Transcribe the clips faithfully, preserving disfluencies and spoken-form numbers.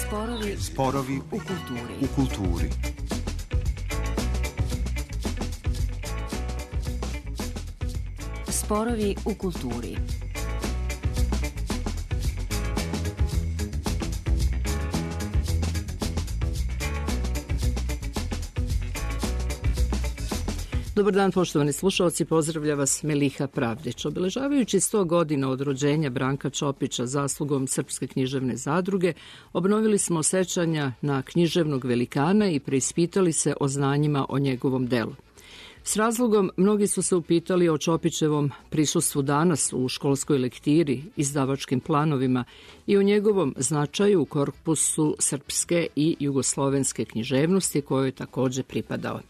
Sporovi, Sporovi u kulturi. U kulturi. Sporovi u kulturi. Dobar dan, poštovani slušalci, pozdravlja vas Meliha Pravdić. Obeležavajući sto godina od rođenja Branka Čopića zaslugom Srpske književne zadruge, obnovili smo sećanja na književnog velikana i preispitali se o znanjima o njegovom delu. S razlogom, mnogi su se upitali o Čopićevom prisustvu danas u školskoj lektiri, izdavačkim planovima i o njegovom značaju u korpusu srpske i jugoslovenske književnosti kojoj je takođe pripadao.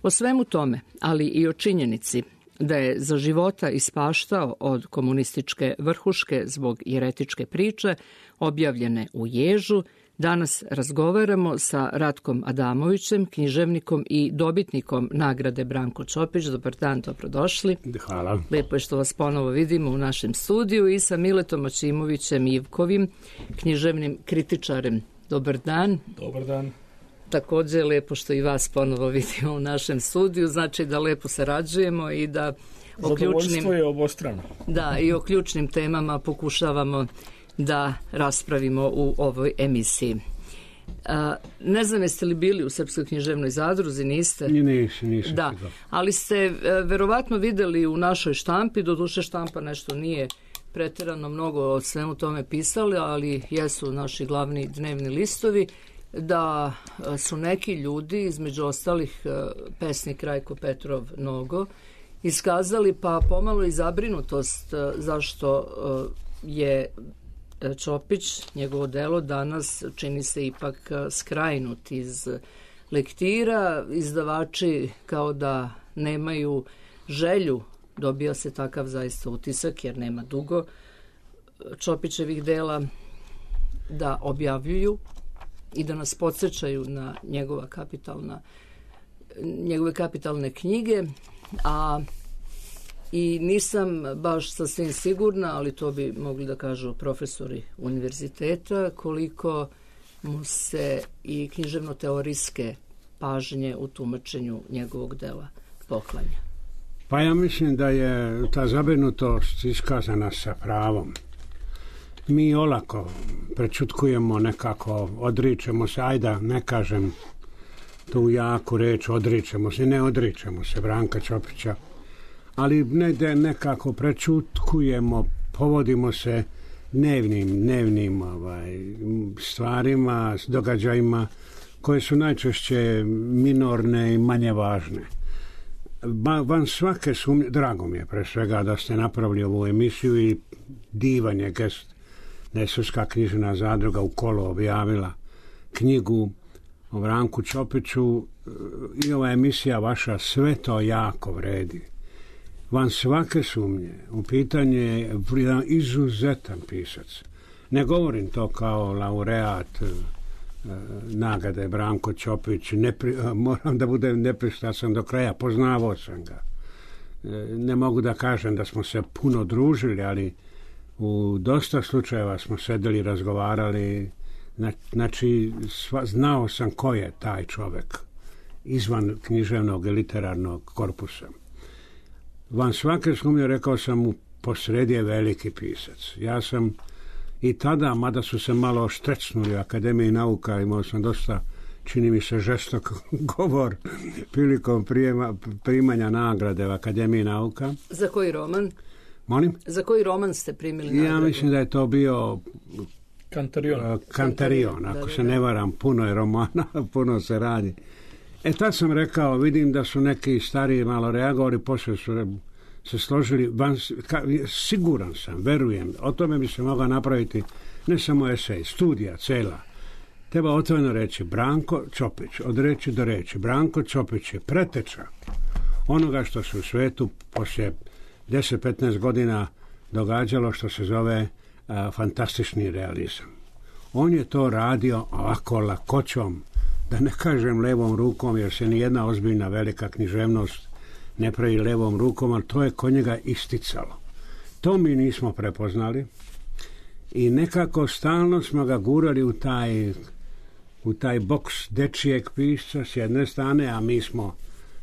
O svemu tome, ali i o činjenici da je za života ispaštao od komunističke vrhuške zbog jeretičke priče, objavljene u Ježu, danas razgovaramo sa Ratkom Adamovićem, književnikom i dobitnikom nagrade Branko Čopić. Dobar dan, dobrodošli. Hvala. Lepo je što vas ponovo vidimo u našem studiju i sa Miletom Aćimovićem Ivkovim, književnim kritičarem. Dobar dan. Dobar dan. Takođe je lepo što i vas ponovo vidimo u našem studiju, znači da lepo sarađujemo i da o ključnim, zadovoljstvo je obostrano. Da, i o ključnim temama pokušavamo da raspravimo u ovoj emisiji. A, ne znam, jeste li bili u Srpskoj književnoj zadruzi, niste? Nisam, nisam. Da, ali ste verovatno videli u našoj štampi, doduše štampa nešto nije preterano mnogo o svemu tome pisali, ali jesu naši glavni dnevni listovi, da su neki ljudi, između ostalih pesnik Rajko Petrov Nogo, iskazali pa pomalo i zabrinutost zašto je Čopić, njegovo delo danas čini se ipak skrajnut iz lektira, izdavači kao da nemaju želju, dobija se takav zaista utisak jer nema dugo Čopićevih dela, da objavljuju i da nas podsjećaju na njegova kapitalna, njegove kapitalne knjige, a i nisam baš sasvim sigurna, ali to bi mogli da kažu profesori univerziteta, koliko mu se i književno-teorijske pažnje u tumačenju njegovog dela poklanja. Pa ja mislim da je ta zabrinutost iskazana sa pravom. Mi olako prečutkujemo nekako, odričemo se, ajda ne kažem tu jaku reč, odričemo se, ne odričemo se Branka Čopića, ali ne, nekako prečutkujemo, povodimo se dnevnim, dnevnim ovaj, stvarima, događajima koje su najčešće minorne i manje važne. Ba, van svake sumnje, drago mi je pre svega da ste napravili ovu emisiju i divan je gest da je Srpska književna zadruga u Kolo objavila knjigu o Branku Čopiću i ova emisija vaša sve to jako vredi. Van svake sumnje, u pitanju je jedan izuzetan pisac. Ne govorim to kao laureat e, nagrade Branko Čopić, nepri, moram da budem nepristrasan do kraja, poznavao sam ga. E, ne mogu da kažem da smo se puno družili, ali u dosta slučajeva smo sedeli, razgovarali, znači sva, znao sam ko je taj čovek izvan književnog i literarnog korpusa. Van svake sumnje, rekao sam mu, posredi je veliki pisac. Ja sam i tada, mada su se malo štrecnuli u Akademiji nauka, imao sam dosta, čini mi se, žestok govor prilikom prijema, primanja nagrade u Akademiji nauka. Za koji roman? Molim? Za koji roman ste primili nagradu? Ja mislim da je to bio Kantarion. Uh, Kantarion, ako da, da, se ne varam, puno je romana, puno se radi. E tad sam rekao, vidim da su neki stariji malo reagovali, poslije su se složili, van, ka, siguran sam, verujem, o tome bi se mogla napraviti ne samo esej, studija cela. Treba otvoreno reći, Branko Čopić, od reči do reči, Branko Čopić je preteča onoga što se u svetu poslije deset do petnaest godina događalo što se zove a, fantastični realizam. On je to radio ovako lakoćom, da ne kažem levom rukom, jer se nijedna ozbiljna velika književnost ne pravi levom rukom, ali to je kod njega isticalo. To mi nismo prepoznali I nekako stalno smo ga gurali u taj, u taj boks dečijeg pisca s jedne strane, a mi smo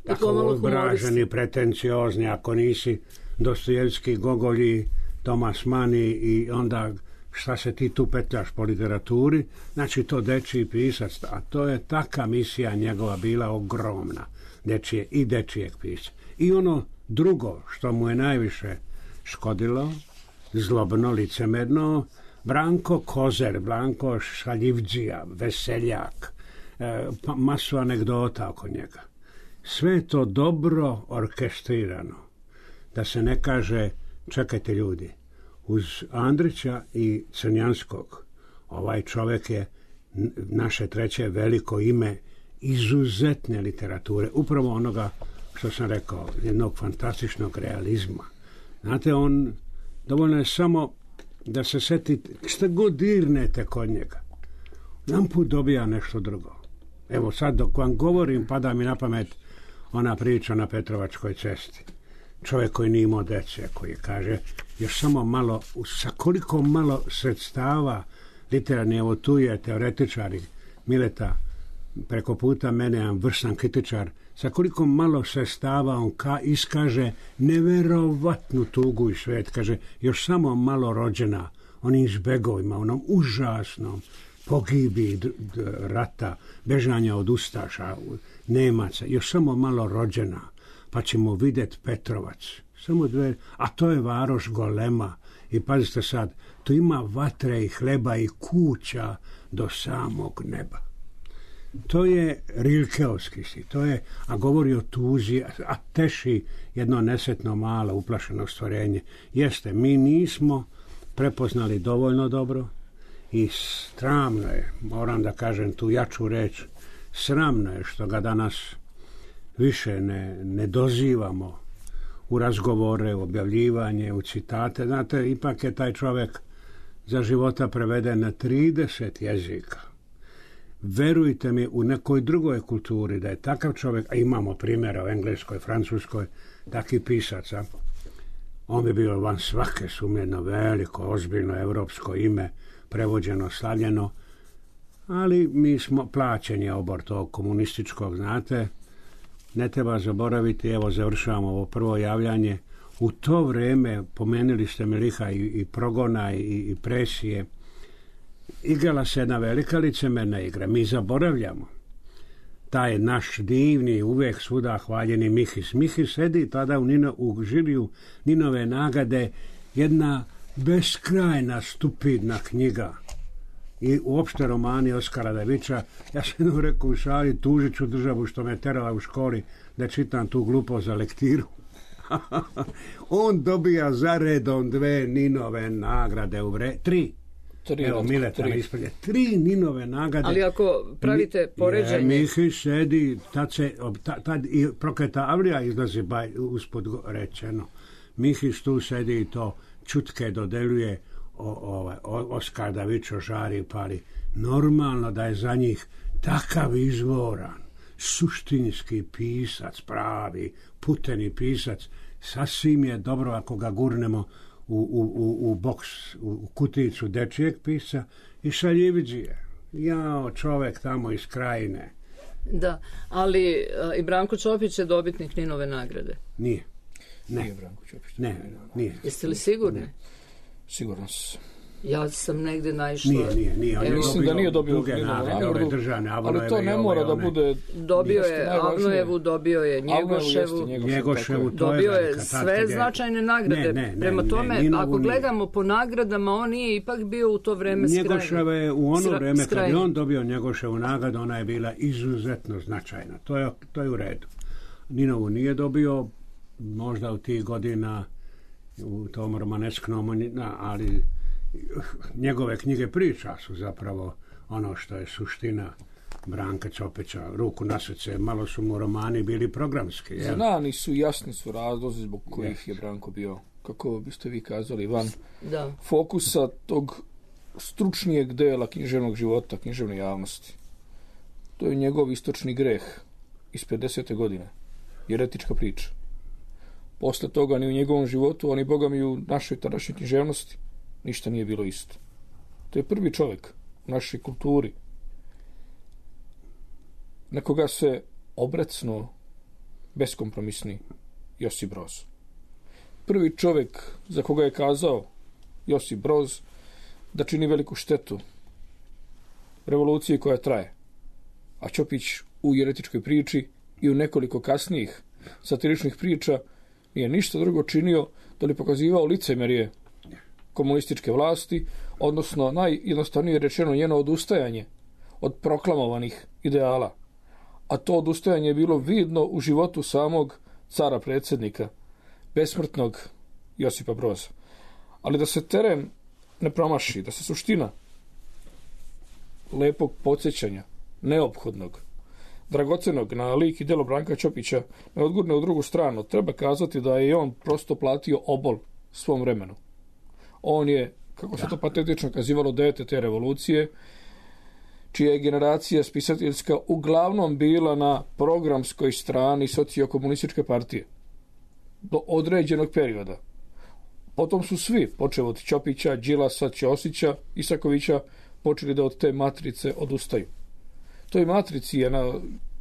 tako obraženi, pretenciozni, ako nisi Dostojevski, Gogolji, Tomas Mani i onda šta se ti tu petljaš po literaturi, znači to dečiji pisac, a to je taka misija njegova bila ogromna, dečije i dečijeg pisca. I ono drugo što mu je najviše škodilo, zlobno, licemerno, Branko Kozer, Branko Šaljivđija, veseljak, e, pa masu anegdota oko njega. Sve je to dobro orkestrirano. Da se ne kaže, čekajte ljudi, uz Andrića i Crnjanskog, ovaj čovjek je naše treće veliko ime izuzetne literature, upravo onoga što sam rekao, jednog fantastičnog realizma. Znate, on, dovoljno je samo da se setite, šta god dirnete kod njega, jedan put dobija nešto drugo. Evo sad dok vam govorim, pada mi na pamet ona priča na Petrovačkoj cesti. Čovjek koji nije imao dece, koji kaže, još samo malo, sa koliko malo sredstava literarni, evo tu je teoretičar Mileta, preko puta mene, jedan vrsan kritičar, sa koliko malo sredstava on ka, iskaže neverovatnu tugu i svet, kaže, još samo malo rođena onim zbegovima, onom užasnom pogibi d- d- rata, bežanja od ustaša, Nemaca, još samo malo rođena, pa ćemo vidjeti Petrovac. Samo dve, a to je varoš golema. I pazite sad, tu ima vatre i hleba i kuća do samog neba. To je Rilkeovski si, to je, a govori o tuzi, a teši jedno nesretno malo uplašeno stvorenje. Jeste, mi nismo prepoznali dovoljno dobro i sramno je, moram da kažem tu jaču reč, sramno je što ga danas više ne, ne dozivamo u razgovore, u objavljivanje, u citate. Znate, ipak je taj čovjek za života preveden na trideset jezika. Verujte mi, u nekoj drugoj kulturi da je takav čovjek, a imamo primjera u Engleskoj, Francuskoj, takvih pisaca, on bi bio van svake sumnje jedno veliko, ozbiljno evropsko ime, prevođeno, slavljeno, ali mi smo plaćeni obor tog komunističkog, znate. Ne treba zaboraviti, evo završavamo ovo prvo javljanje, u to vrijeme, pomenuli ste mi liha i, i progona i, i presije, igrala se jedna velika licemerna igra. Mi zaboravljamo taj naš divni, uvijek svuda hvaljeni Mihis. Mihis sedi tada u, Nino, u žiriju Ninove nagrade, jedna beskrajna, stupidna knjiga. I uopšte romani Oskara Davića. Ja sam jednom rekao u šali, tužit ću državu što me terala u školi da čitam tu glupost za lektiru. On dobija za redom dve Ninove nagrade u vre... Tri. Tri, Evo, Mileta mi ispred. Tri Ninove nagrade. Ali ako pravite poređenje... Mihić sedi, tad se, tad, tad i Prokleta Avlija izlazi baj, uspod rečeno. Mihić tu sedi i to čutke dodeljuje, o, o, o, Oskar Davićo žari pali. Normalno da je za njih takav izvoran, suštinski pisac, pravi, puteni pisac, sasvim je dobro ako ga gurnemo u, u, u, u boks, u kuticu dečijeg pisca i Šaljiviđije. Jao, čovek tamo iz Krajine. Da, ali a, i Branko Čopić je dobitnik Ninove nagrade. Nije. Ne. Nije Branko Čopić. Ne, nije. Jeste li sigurni? Ne. Sigurno sam. Ja sam negdje naišla... Nije, nije, nije. Evo, mislim da nije dobio druge nagrade, ove državne, ali to ne mora da bude... Dobio je Avnojevu, dobio je Njegoševu, Njegoševu, to dobio je je sve značajne nagrade. Ne, ne, Prema ne, tome, ne, ako gledamo po nagradama, on nije ipak bio u to vreme skrajni. Njegoševa je u ono vreme skrajni. kad je on dobio Njegoševu nagradu, ona je bila izuzetno značajna. To je, to je u redu. Ninovu nije dobio, možda u tih godina u tom romanesknom, ali njegove knjige priča su zapravo ono što je suština Branka Čopića. Ruku na srce, malo su mu romani bili programski. Jel? Znani su, jasni su razlozi zbog kojih je Branko bio, kako biste vi kazali, van da. fokusa tog stručnijeg dela književnog života, književne javnosti. To je njegov istočni greh iz pedesete godine. Jeretička priča. Posle toga ni u njegovom životu, ani boga mi u našoj tadašnjoj književnosti ništa nije bilo isto. To je prvi čovjek u našoj kulturi na koga se obrecnuo beskompromisni Josip Broz. Prvi čovjek za koga je kazao Josip Broz da čini veliku štetu revoluciji koja traje. A Ćopić u jeretičkoj priči i u nekoliko kasnijih satiričnih priča nije ništa drugo činio da li pokazivao licemerje komunističke vlasti, odnosno najjednostavnije rečeno njeno odustajanje od proklamovanih ideala. A to odustajanje je bilo vidno u životu samog cara predsjednika, besmrtnog Josipa Broza. Ali da se teren ne promaši, da se suština lepog podsjećanja, neophodnog, dragocenog na lik i djelo Branka Ćopića ne odgurne u drugu stranu, treba kazati da je on prosto platio obol svom vremenu. On je, kako se to patetično kazivalo, dete te revolucije, čija je generacija spisateljska uglavnom bila na programskoj strani sociokomunističke partije do određenog perioda. Potom su svi, počev od Ćopića, Đilasa, Ćosića, Isakovića, počeli da od te matrice odustaju. Toj matrici je na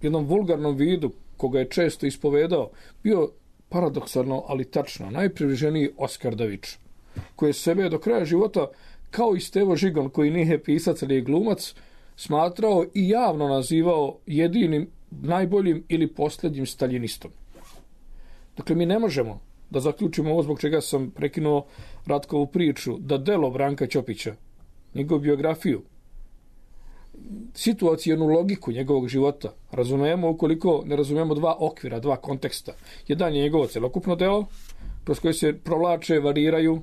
jednom vulgarnom vidu, koga je često ispovedao, bio paradoksalno, ali tačno, najpribliženiji Oskar Davič, koji je sebe do kraja života, kao i Stevo Žigon, koji nije pisac, ali je glumac, smatrao i javno nazivao jedinim, najboljim ili posljednjim staljinistom. Dakle, mi ne možemo da zaključimo ovo zbog čega sam prekinuo Ratkovu priču, da delo Branka Ćopića, njegovu biografiju, situacijenu logiku njegovog života razumijemo ukoliko ne razumijemo dva okvira, dva konteksta. Jedan je njegovo celokupno delo, kroz koje se provlače, variraju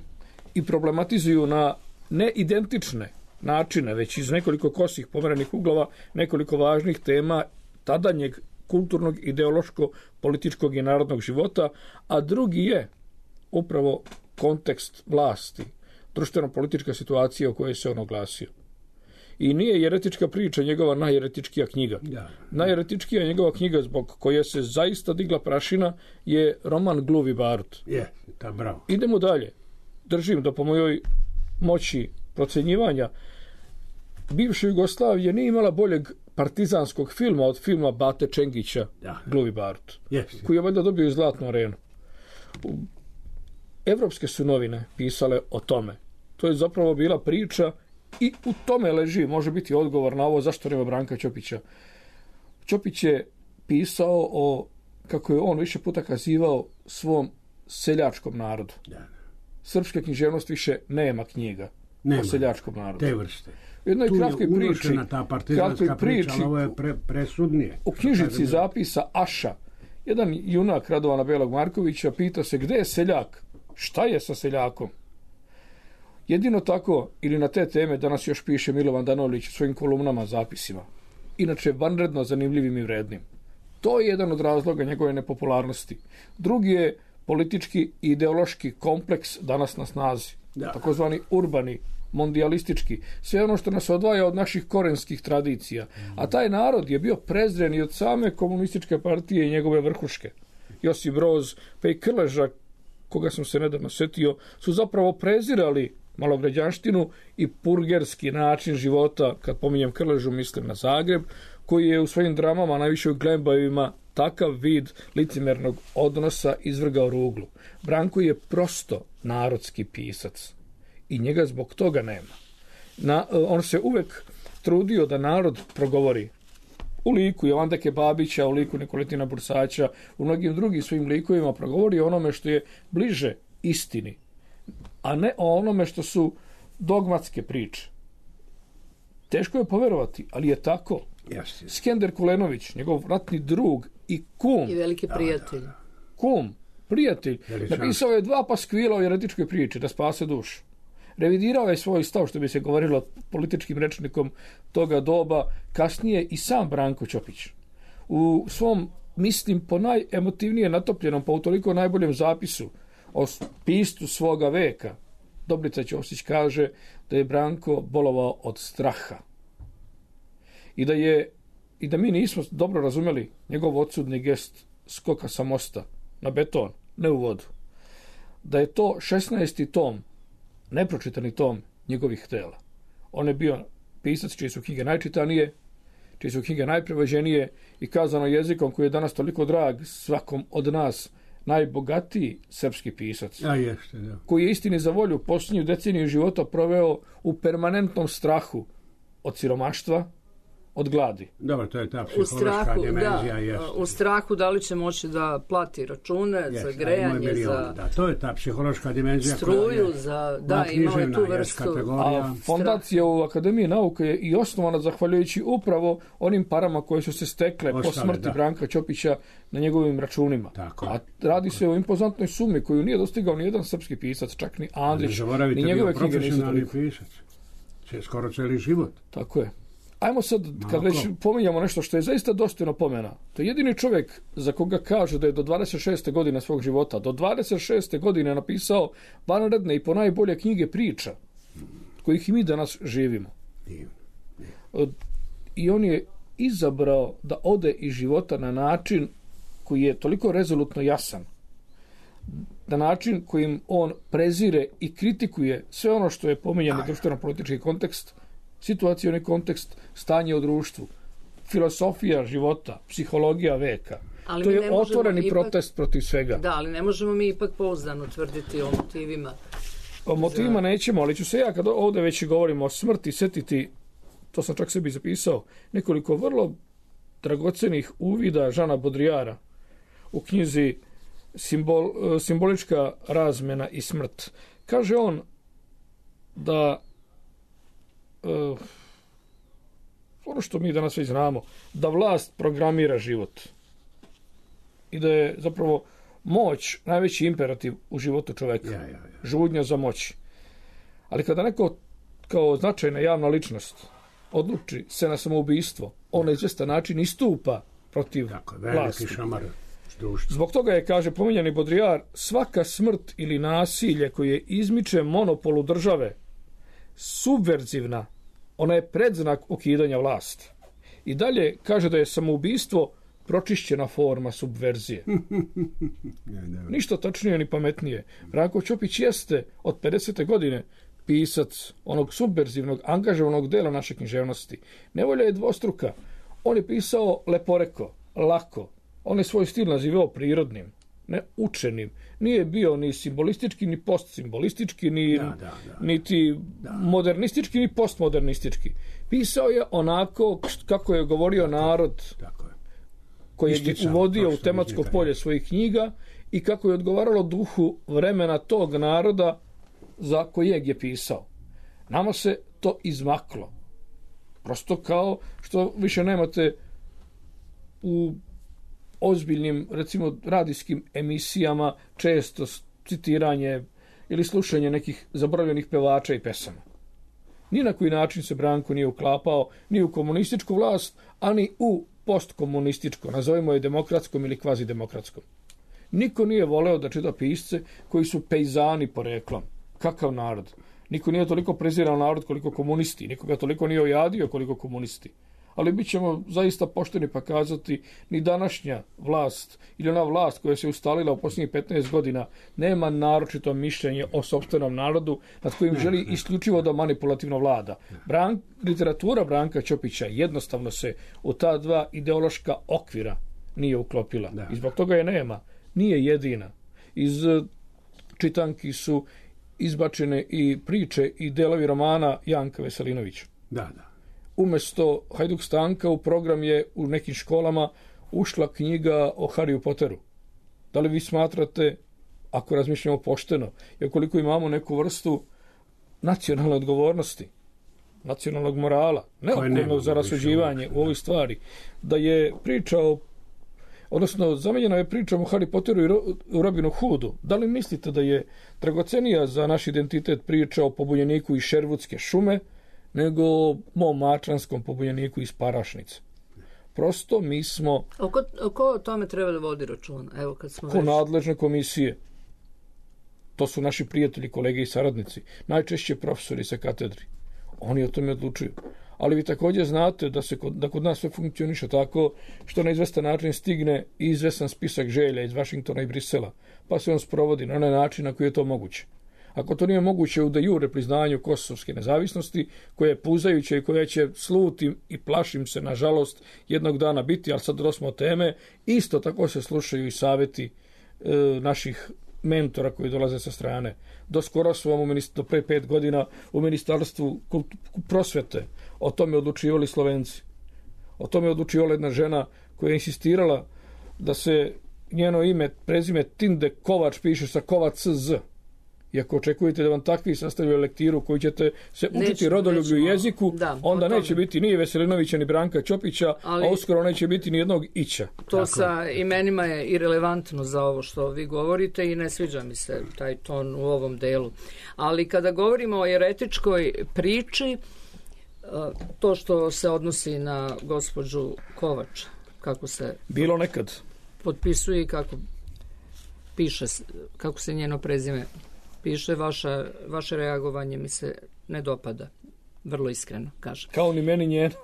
i problematizuju na neidentične načine, već iz nekoliko kosih pomerenih uglova, nekoliko važnih tema tadanjeg kulturnog, ideološko, političkog i narodnog života, a drugi je upravo kontekst vlasti, društveno-politička situacija u kojoj se on oglasio. I nije jeretička priča njegova najjeretičkija knjiga. Da. Najjeretičkija njegova knjiga zbog koje se zaista digla prašina je roman Gluvi barut. Je, ta bravo. Idemo dalje. Držim da po mojoj moći procenjivanja bivša Jugoslavija nije imala boljeg partizanskog filma od filma Bate Čengića, da. Gluvi barut, yes. Koji je valjda dobio i Zlatnu arenu. Evropske su novine pisale o tome. To je zapravo bila priča i u tome leži, može biti odgovor na ovo zašto nema Branka Ćopića. Ćopić je pisao o, kako je on više puta kazivao, svom seljačkom narodu. Da. Srpske književnost više nema knjiga nema. O seljačkom narodu. Te vrste. U jednoj tu kratkoj je priči, ta partizanska priča, ali ovo je pre, presudnije. U knjižici zapisa Aša, jedan junak Radovana Belog Markovića pita se gde je seljak, šta je sa seljakom. Jedino tako, ili na te teme, danas još piše Milovan Danovlić u svojim kolumnama, zapisima. Inače, vanredno zanimljivim i vrednim. To je jedan od razloga njegove nepopularnosti. Drugi je politički i ideološki kompleks danas na snazi. Da. Takozvani urbani, mondijalistički. Sve ono što nas odvaja od naših korenskih tradicija. A taj narod je bio prezren i od same komunističke partije i njegove vrhuške. Josip Broz, pa i Krleža, koga sam se nedavno setio, su zapravo prezirali malograđanštinu i purgerski način života. Kad pominjem Krležu, mislim na Zagreb, koji je u svojim dramama, najviše u Glembajevima, takav vid licimernog odnosa izvrgao ruglu. Branko je prosto narodski pisac i njega zbog toga nema. Na, on se uvek trudio da narod progovori. U liku Jovandeke Babića, u liku Nikolitina Bursaća, u mnogim drugim svojim likovima progovori o onome što je bliže istini, a ne o onome što su dogmatske priče. Teško je poverovati, ali je tako. Jasne. Skender Kulenović, njegov ratni drug i kum. I veliki prijatelj. Da, da. Kum, prijatelj. Napisao je dva paskvila o jeretičkoj priči, da spase dušu. Revidirao je svoj stav, što bi se govorilo političkim rečnikom toga doba, kasnije i sam Branko Ćopić. U svom, mislim, po najemotivnije natopljenom, pa u toliko najboljem zapisu o pistu svoga veka, Dobrica Ćosić kaže da je Branko bolovao od straha. I da je i da mi nismo dobro razumeli njegov odsudni gest skoka sa mosta na beton, ne u vodu. Da je to šesnaesti tom, nepročitani tom njegovih tela. On je bio pisac čije su knjige najčitanije, čije su knjige najprevođenije i kazano jezikom koji je danas toliko drag svakom od nas, najbogatiji srpski pisac. A jeste, da. Koji je istini za volju posljednju deceniju života proveo u permanentnom strahu od siromaštva, od gladi. Dobro, to je ta U psihološka strahu, dimenzija. da, Jeste. u strahu da li će moći da plati račune Jeste, za a ima grejanje, milion, za da, to je ta psihološka dimenzija. struju, za, da, imao je tu vrstu. A fondacija u Akademiji nauke je i osnovana zahvaljujući upravo onim parama koje su se stekle Ostale, po smrti da. Branka Ćopića na njegovim računima. Tako. A radi se o impozantnoj sumi koju nije dostigao ni jedan srpski pisac, čak ni Andrić, ni njegove knjige nisu toliko. Pisac. Skoro cijeli život. Tako je. Ajmo sad, kad već pominjamo nešto što je zaista dostojno pomena, to je jedini čovjek za koga kažu da je do dvadeset šeste godine svog života, do dvadeset šeste godine napisao vanredne i ponajbolje knjige priča, kojih i mi danas živimo. I on je izabrao da ode iz života na način koji je toliko rezolutno jasan, na način kojim on prezire i kritikuje sve ono što je pominjani društveno-politički kontekst, situacioni kontekst, stanje u društvu, filosofija života, psihologija veka. Ali to mi je ne možemo otvoreni ipak- protest protiv svega. Da, ali ne možemo mi ipak pouzdano tvrditi o motivima. O motivima nećemo, ali ću se ja, kad ovdje već govorimo o smrti, setiti, to sam čak sebi zapisao, nekoliko vrlo dragocenih uvida Žana Bodrijara u knjizi Simbol, Simbolička razmjena i smrt. Kaže on da uh, ono što mi danas već znamo, da vlast programira život i da je zapravo moć najveći imperativ u životu čovjeka. Ja, ja, ja. Žudnja za moć. Ali kada neko kao značajna javna ličnost odluči se na samoubistvo, on na izvestan način istupa protiv Tako, veliki vlasti. šamar društva. Zbog toga je, kaže pominjani Bodrijar, svaka smrt ili nasilje koje izmiče monopolu države subverzivna, ona je predznak ukidanja vlasti. I dalje kaže da je samoubistvo pročišćena forma subverzije. Ništa tačnije ni pametnije. Branko Ćopić jeste od pedesete godine pisac onog subverzivnog, angažovanog dela naše književnosti. Nevolja je dvostruka. On je pisao leporeko, lako. On je svoj stil nazivao prirodnim, ne učenim. Nije bio ni simbolistički, ni postsimbolistički, ni, Da, da, da. niti Da. modernistički, ni postmodernistički. Pisao je onako kako je govorio narod Tako je. koji je Isticao uvodio to u što tematsko iznikanje. polje svojih knjiga i kako je odgovaralo duhu vremena tog naroda za kojeg je pisao. Nama se to izmaklo. Prosto kao što više nemate u ozbiljnim, recimo, radijskim emisijama često citiranje ili slušanje nekih zaboravljenih pevača i pesama. Ni na koji način se Branko nije uklapao ni u komunističku vlast, ani u postkomunističko, nazovimo je demokratskom ili kvazidemokratskom. Niko nije voleo da čita pisce koji su pejzani poreklom. Kakav narod? Niko nije toliko prezirao narod koliko komunisti, nikoga toliko nije ojadio koliko komunisti. Ali bit ćemo zaista pošteni pa kazati, ni današnja vlast ili ona vlast koja se ustalila u posljednjih petnaest godina nema naročito mišljenje o sopstvenom narodu nad kojim želi isključivo da manipulativno vlada. Bran, literatura Branka Ćopića jednostavno se u ta dva ideološka okvira nije uklopila. Da. I zbog toga je nema. Nije jedina. Iz eh, čitanki su izbačene i priče i delovi romana Janka Veselinovića. Da, da. Umjesto Hajduk Stanka u program je u nekim školama ušla knjiga o Harryu Potteru. Da li vi smatrate, ako razmišljamo pošteno, i ukoliko imamo neku vrstu nacionalne odgovornosti, nacionalnog morala, neophodnog nemamo za rasuđivanje više u ovoj stvari, da je priča o, odnosno zamenjena je pričom o Harry Potteru i Ro- u Robinu Hoodu. Da li mislite da je dragocenija za naš identitet priča o pobunjeniku iz Šervudske šume, nego mom mačanskom pobunjeniku iz Parašnice? Prosto mi smo Oko, ko o tome treba da vodi računa? Evo, kad smo ko već... nadležne komisije. To su naši prijatelji, kolege i saradnici. Najčešće profesori sa katedri. Oni o tome odlučuju. Ali vi također znate da, se kod, da kod nas sve funkcioniše tako što na izvestan način stigne i izvestan spisak želja iz Vašingtona i Brisela, pa se on sprovodi na onaj način na koji je to moguće. ako to nije moguće u de jure priznanju kosovske nezavisnosti, koje je puzajuće i koje će slutim i plašim se, nažalost, jednog dana biti, ali sad dosmo teme, isto tako se slušaju i savjeti e, naših mentora koji dolaze sa strane. Do skoro su vam u do pre pet godina u Ministarstvu prosvete o tome odlučivali Slovenci. O tome je odlučivala jedna žena koja je insistirala da se njeno ime, prezime Tinde Kovač piše sa Kovac z. I ako očekujete da vam takvi sastavljaju lektiru koju ćete se učiti nećemo, rodoljublju nećemo, jeziku, da, onda neće biti ni Veselinovića, ni Branka Ćopića, ali, a uskoro neće biti ni jednog Ića. To Tako. Sa imenima je irelevantno za ovo što vi govorite i ne sviđa mi se taj ton u ovom delu. Ali kada govorimo o jeretičkoj priči, to što se odnosi na gospođu Kovač, kako se bilo nekad potpisuje i kako piše, kako se njeno prezime piše, vaša, vaše reagovanje mi se ne dopada, vrlo iskreno kažem. Kao ni meni njeno,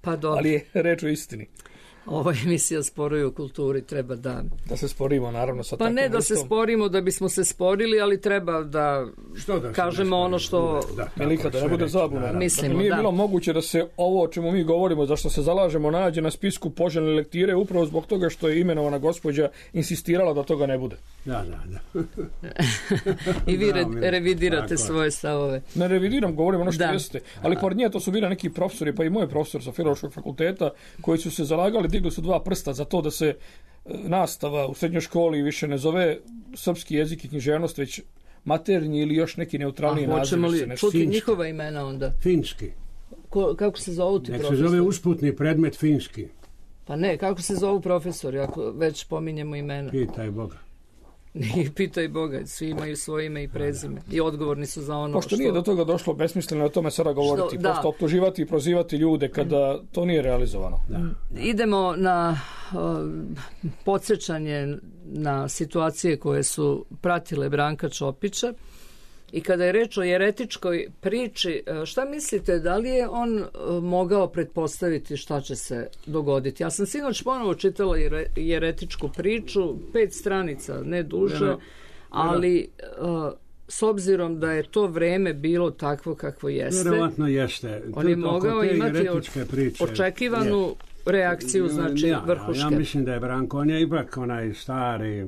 pa dobro. Ali je reč o istini. Ovo emisija Sporovi u kulturi, treba da... Da se sporimo, naravno, sa pa takvom ne da vrstom. Se sporimo da bismo se sporili, ali treba da, da kažemo ono što... Da, Melika, da ne bude zabuna. Mislimo, dakle, nije da. bilo moguće da se ovo o čemu mi govorimo, zašto se zalažemo, nađe na spisku poželjne lektire, upravo zbog toga što je imenovana gospođa insistirala da toga ne bude. Da, da, da. I vi re, revidirate tako svoje stavove. Ne revidiram, govorim ono što da. jeste. Ali pored nje to su bili neki profesori, pa i moj profesor sa Filološkog fakulteta, koji su se zalagali, digli su dva prsta za to da se nastava u srednjoj školi više ne zove srpski jezik i književnost, već maternji ili još neki neutralniji naziv. Hoćemo li čuti njihova imena onda? Finski. Ko, kako se zovu ti Nek profesori? se zove usputni predmet finski. Pa ne, kako se zovu profesori, ako već pominjemo imena? Pitaj Boga. I pitaj Boga, svi imaju svoje ime i prezime i odgovorni su za ono Pošto što... nije do toga došlo besmisleno o tome sada govoriti, što, pošto optuživati i prozivati ljude kada to nije realizovano. Da. Idemo na uh, podsjećanje na situacije koje su pratile Branka Ćopića. I kada je reč o jeretičkoj priči, šta mislite, da li je on mogao pretpostaviti šta će se dogoditi? Ja sam sinoć ponovo čitala jeretičku priču, pet stranica, ne duže, no, no. ali uh, s obzirom da je to vreme bilo takvo kakvo jeste, vjerovatno jeste. On je mogao imati priče, očekivanu je. reakciju, znači ja, vrhuške. Ja mislim da je Branko, on je ipak onaj stari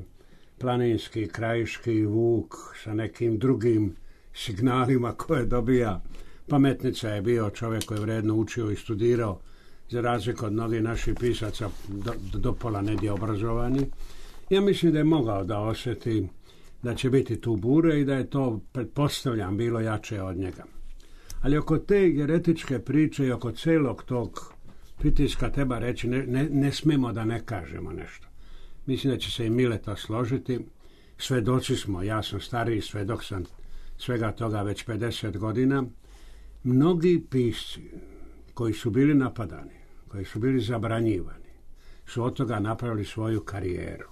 planinski, krajiški Vuk sa nekim drugim signalima koje dobija. Pametnica je bio čovjek koji je vredno učio i studirao, za razliku od mnogih naših pisaca do, do pola nedje obrazovani. Ja mislim da je mogao da osjeti da će biti tu bure i da je to, pretpostavljam, bilo jače od njega. Ali oko te jeretičke priče i oko celog tog pritiska treba reći, ne, ne, ne smemo da ne kažemo nešto. Mislim da će se i Mileta složiti. Svedoci smo, ja sam stariji svedok sam svega toga već pedeset godina. Mnogi pisci koji su bili napadani, koji su bili zabranjivani, su od toga napravili svoju karijeru,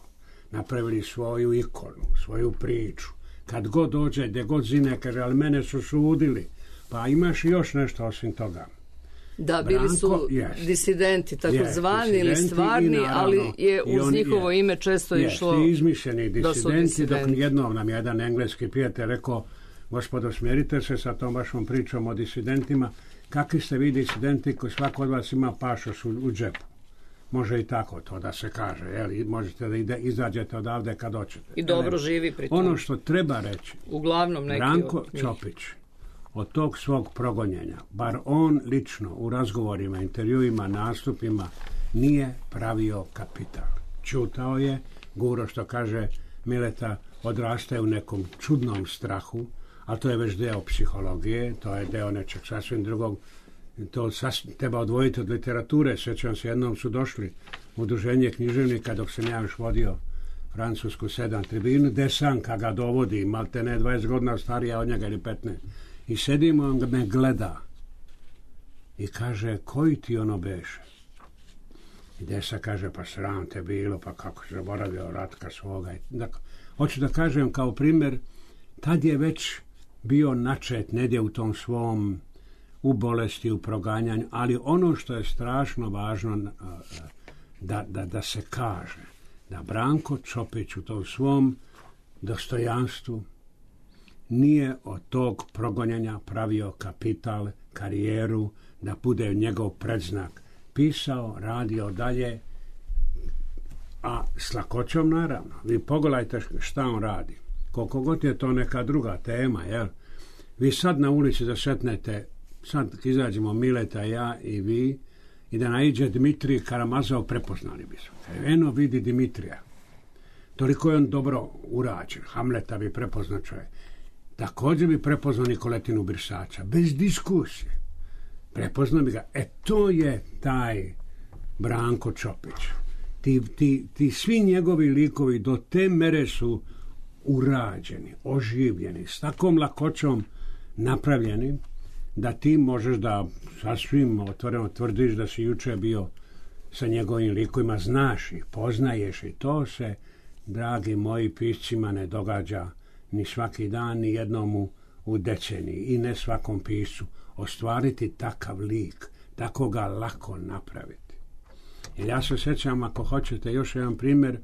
napravili svoju ikonu, svoju priču. Kad god dođe, gdje god zine, kaže, ali mene su sudili. Pa imaš još nešto osim toga. Da, bili su Branko, yes. disidenti, tako yes, zvani ili stvarni, naravno, ali je uz on, njihovo yes. ime često yes, išlo... Yes, izmišljeni disidenti, disidenti, dok jednom nam jedan engleski prijatelj rekao, gospodo, smjerite se sa tom vašom pričom o disidentima, kakvi ste vi disidenti koji svako od vas ima pašoš u, u džepu. Može i tako to da se kaže, jel? Možete da ide, izađete odavde kad hoćete. I dobro jel? Živi pri tom. Ono što treba reći, uglavnom neki Branko Ćopić, od tog svog progonjenja, bar on lično u razgovorima, intervjuima, nastupima, nije pravio kapital. Čutao je, guro što kaže Mileta, odrastaje u nekom čudnom strahu, ali to je već deo psihologije, to je deo nečeg sasvim drugog. To sasvim, treba odvojiti od literature. Sjećam se, jednom su došli u udruženje književnika dok sam ja još vodio francusku sedam tribinu, Desanka ga dovodi, malte ne dvadeset godina starija od njega ili petnaest. I sedimo, on me gleda i kaže, koji ti ono beše? I Desa kaže, pa sram te bilo, pa kako se zaboravio Ratka svoga. Dakle, hoću da kažem kao primjer, tad je već bio načet negdje u tom svom, u bolesti, u proganjanju, ali ono što je strašno važno da, da, da se kaže, da Branko Ćopić u tom svom dostojanstvu, nije od tog progonjanja pravio kapital, karijeru, da bude njegov predznak. Pisao, radio dalje, a s lakoćom naravno. Vi pogledajte šta on radi. Koliko god je to neka druga tema, jel? Vi sad na ulici da šetnete, sad izađemo Mileta, ja i vi, i da naiđe Dmitrij Karamazov, prepoznali bi se. Eno vidi Dimitrija. Toliko je on dobro urađen. Hamleta bi prepoznao čovjek. Također bi prepoznao Nikoletinu Brisača. Bez diskusije. Prepoznao bi ga. E to je taj Branko Čopić. Ti, ti, ti svi njegovi likovi do te mere su urađeni, oživljeni, s takvom lakoćom napravljeni, da ti možeš da sasvim otvoreno tvrdiš da si juče bio sa njegovim likovima, znaš ih, poznaješ i to se, dragi moji piscima, ne događa ni svaki dan, ni jednomu u deceniji i ne svakom piscu. Ostvariti takav lik, tako ga lako napraviti. Jer ja se sjećam, ako hoćete još jedan primjer,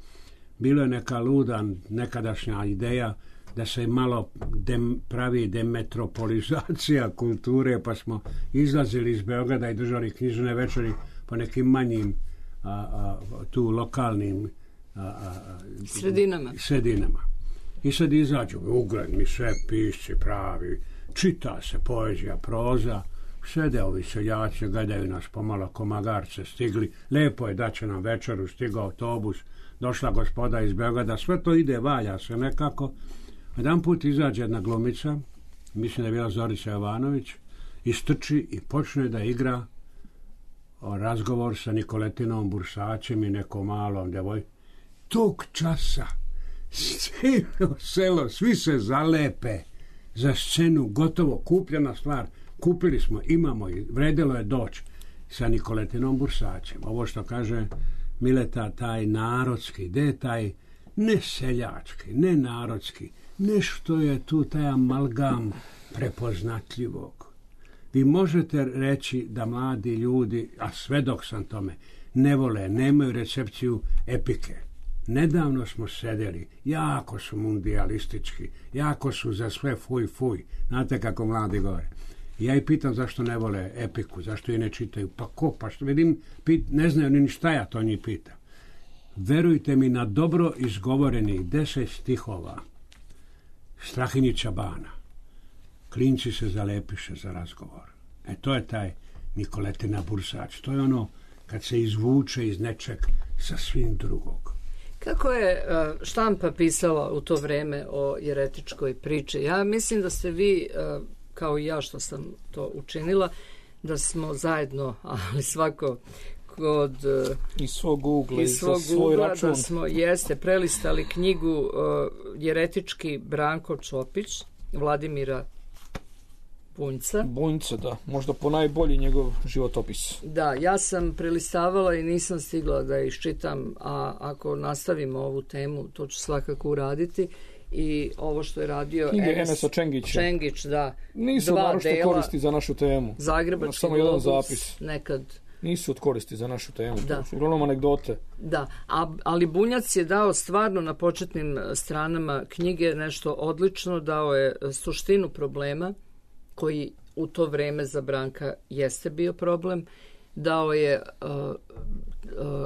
bilo je neka luda nekadašnja ideja da se malo dem, pravi demetropolizacija kulture, pa smo izlazili iz Beograda i držali knjižne večeri po nekim manjim a, a, tu lokalnim a, a, sredinama. sredinama. I sad izađu ugledni sve pisci pravi, čita se poezija, proza, sede ovi seljaci, gledaju nas pomalo ko magarce stigli, lepo je da će nam večeru, stigao autobus, došla gospoda iz Beograda, sve to ide, valja se nekako. Jedan put izađe jedna glumica, mislim da je bila Zorica Jovanović, istrči i počne da igra o razgovor sa Nikoletinom Bursačem i nekom malom devoj. Tog časa cijelo selo, svi se zalepe za scenu, gotovo, kupljena stvar. Kupili smo, imamo i vredelo je doći sa Nikoletinom Bursačem. Ovo što kaže Mileta, taj narodski, gdje je taj ne seljački, ne narodski, nešto je tu taj amalgam prepoznatljivog. Vi možete reći da mladi ljudi, a svedok sam tome, ne vole, nemaju recepciju epike. Nedavno smo sedeli, jako su mundialistički, jako su za sve fuj fuj. Znate kako mladi govore. Ja ih pitam zašto ne vole epiku, zašto je ne čitaju. Pa ko, pa što vidim, pit, ne znaju ni šta ja to njih pitam. Verujte mi, na dobro izgovorenih deset stihova Strahinjića Bana, klinci se zalepiše za razgovor. E to je taj Nikoletina Bursač. To je ono kad se izvuče iz nečeg sa svim drugog. Kako je štampa pisala u to vreme o jeretičkoj priči? Ja mislim da ste vi, kao i ja što sam to učinila, da smo zajedno, ali svako kod iz svog ugla, iz svog za svoj ugla, račun. Da smo jeste prelistali knjigu uh, Jeretički Branko Čopić, Vladimira Bunjca. Bunjca, da. Možda po najbolji njegov životopis. Da, ja sam prelistavala i nisam stigla da iščitam, a ako nastavimo ovu temu, to ću svakako uraditi. I ovo što je radio Knjige Enes Enesa Čengića. Čengić, da. Nisu naročito koristi za našu temu. Zagrebački samo jedan globus, zapis. Nekad. Nisu od koristi za našu temu. Da. To su uglavnom anegdote. Da, a, ali Bunjac je dao stvarno na početnim stranama knjige nešto odlično, dao je suštinu problema koji u to vreme za Branka jeste bio problem, dao je uh, uh,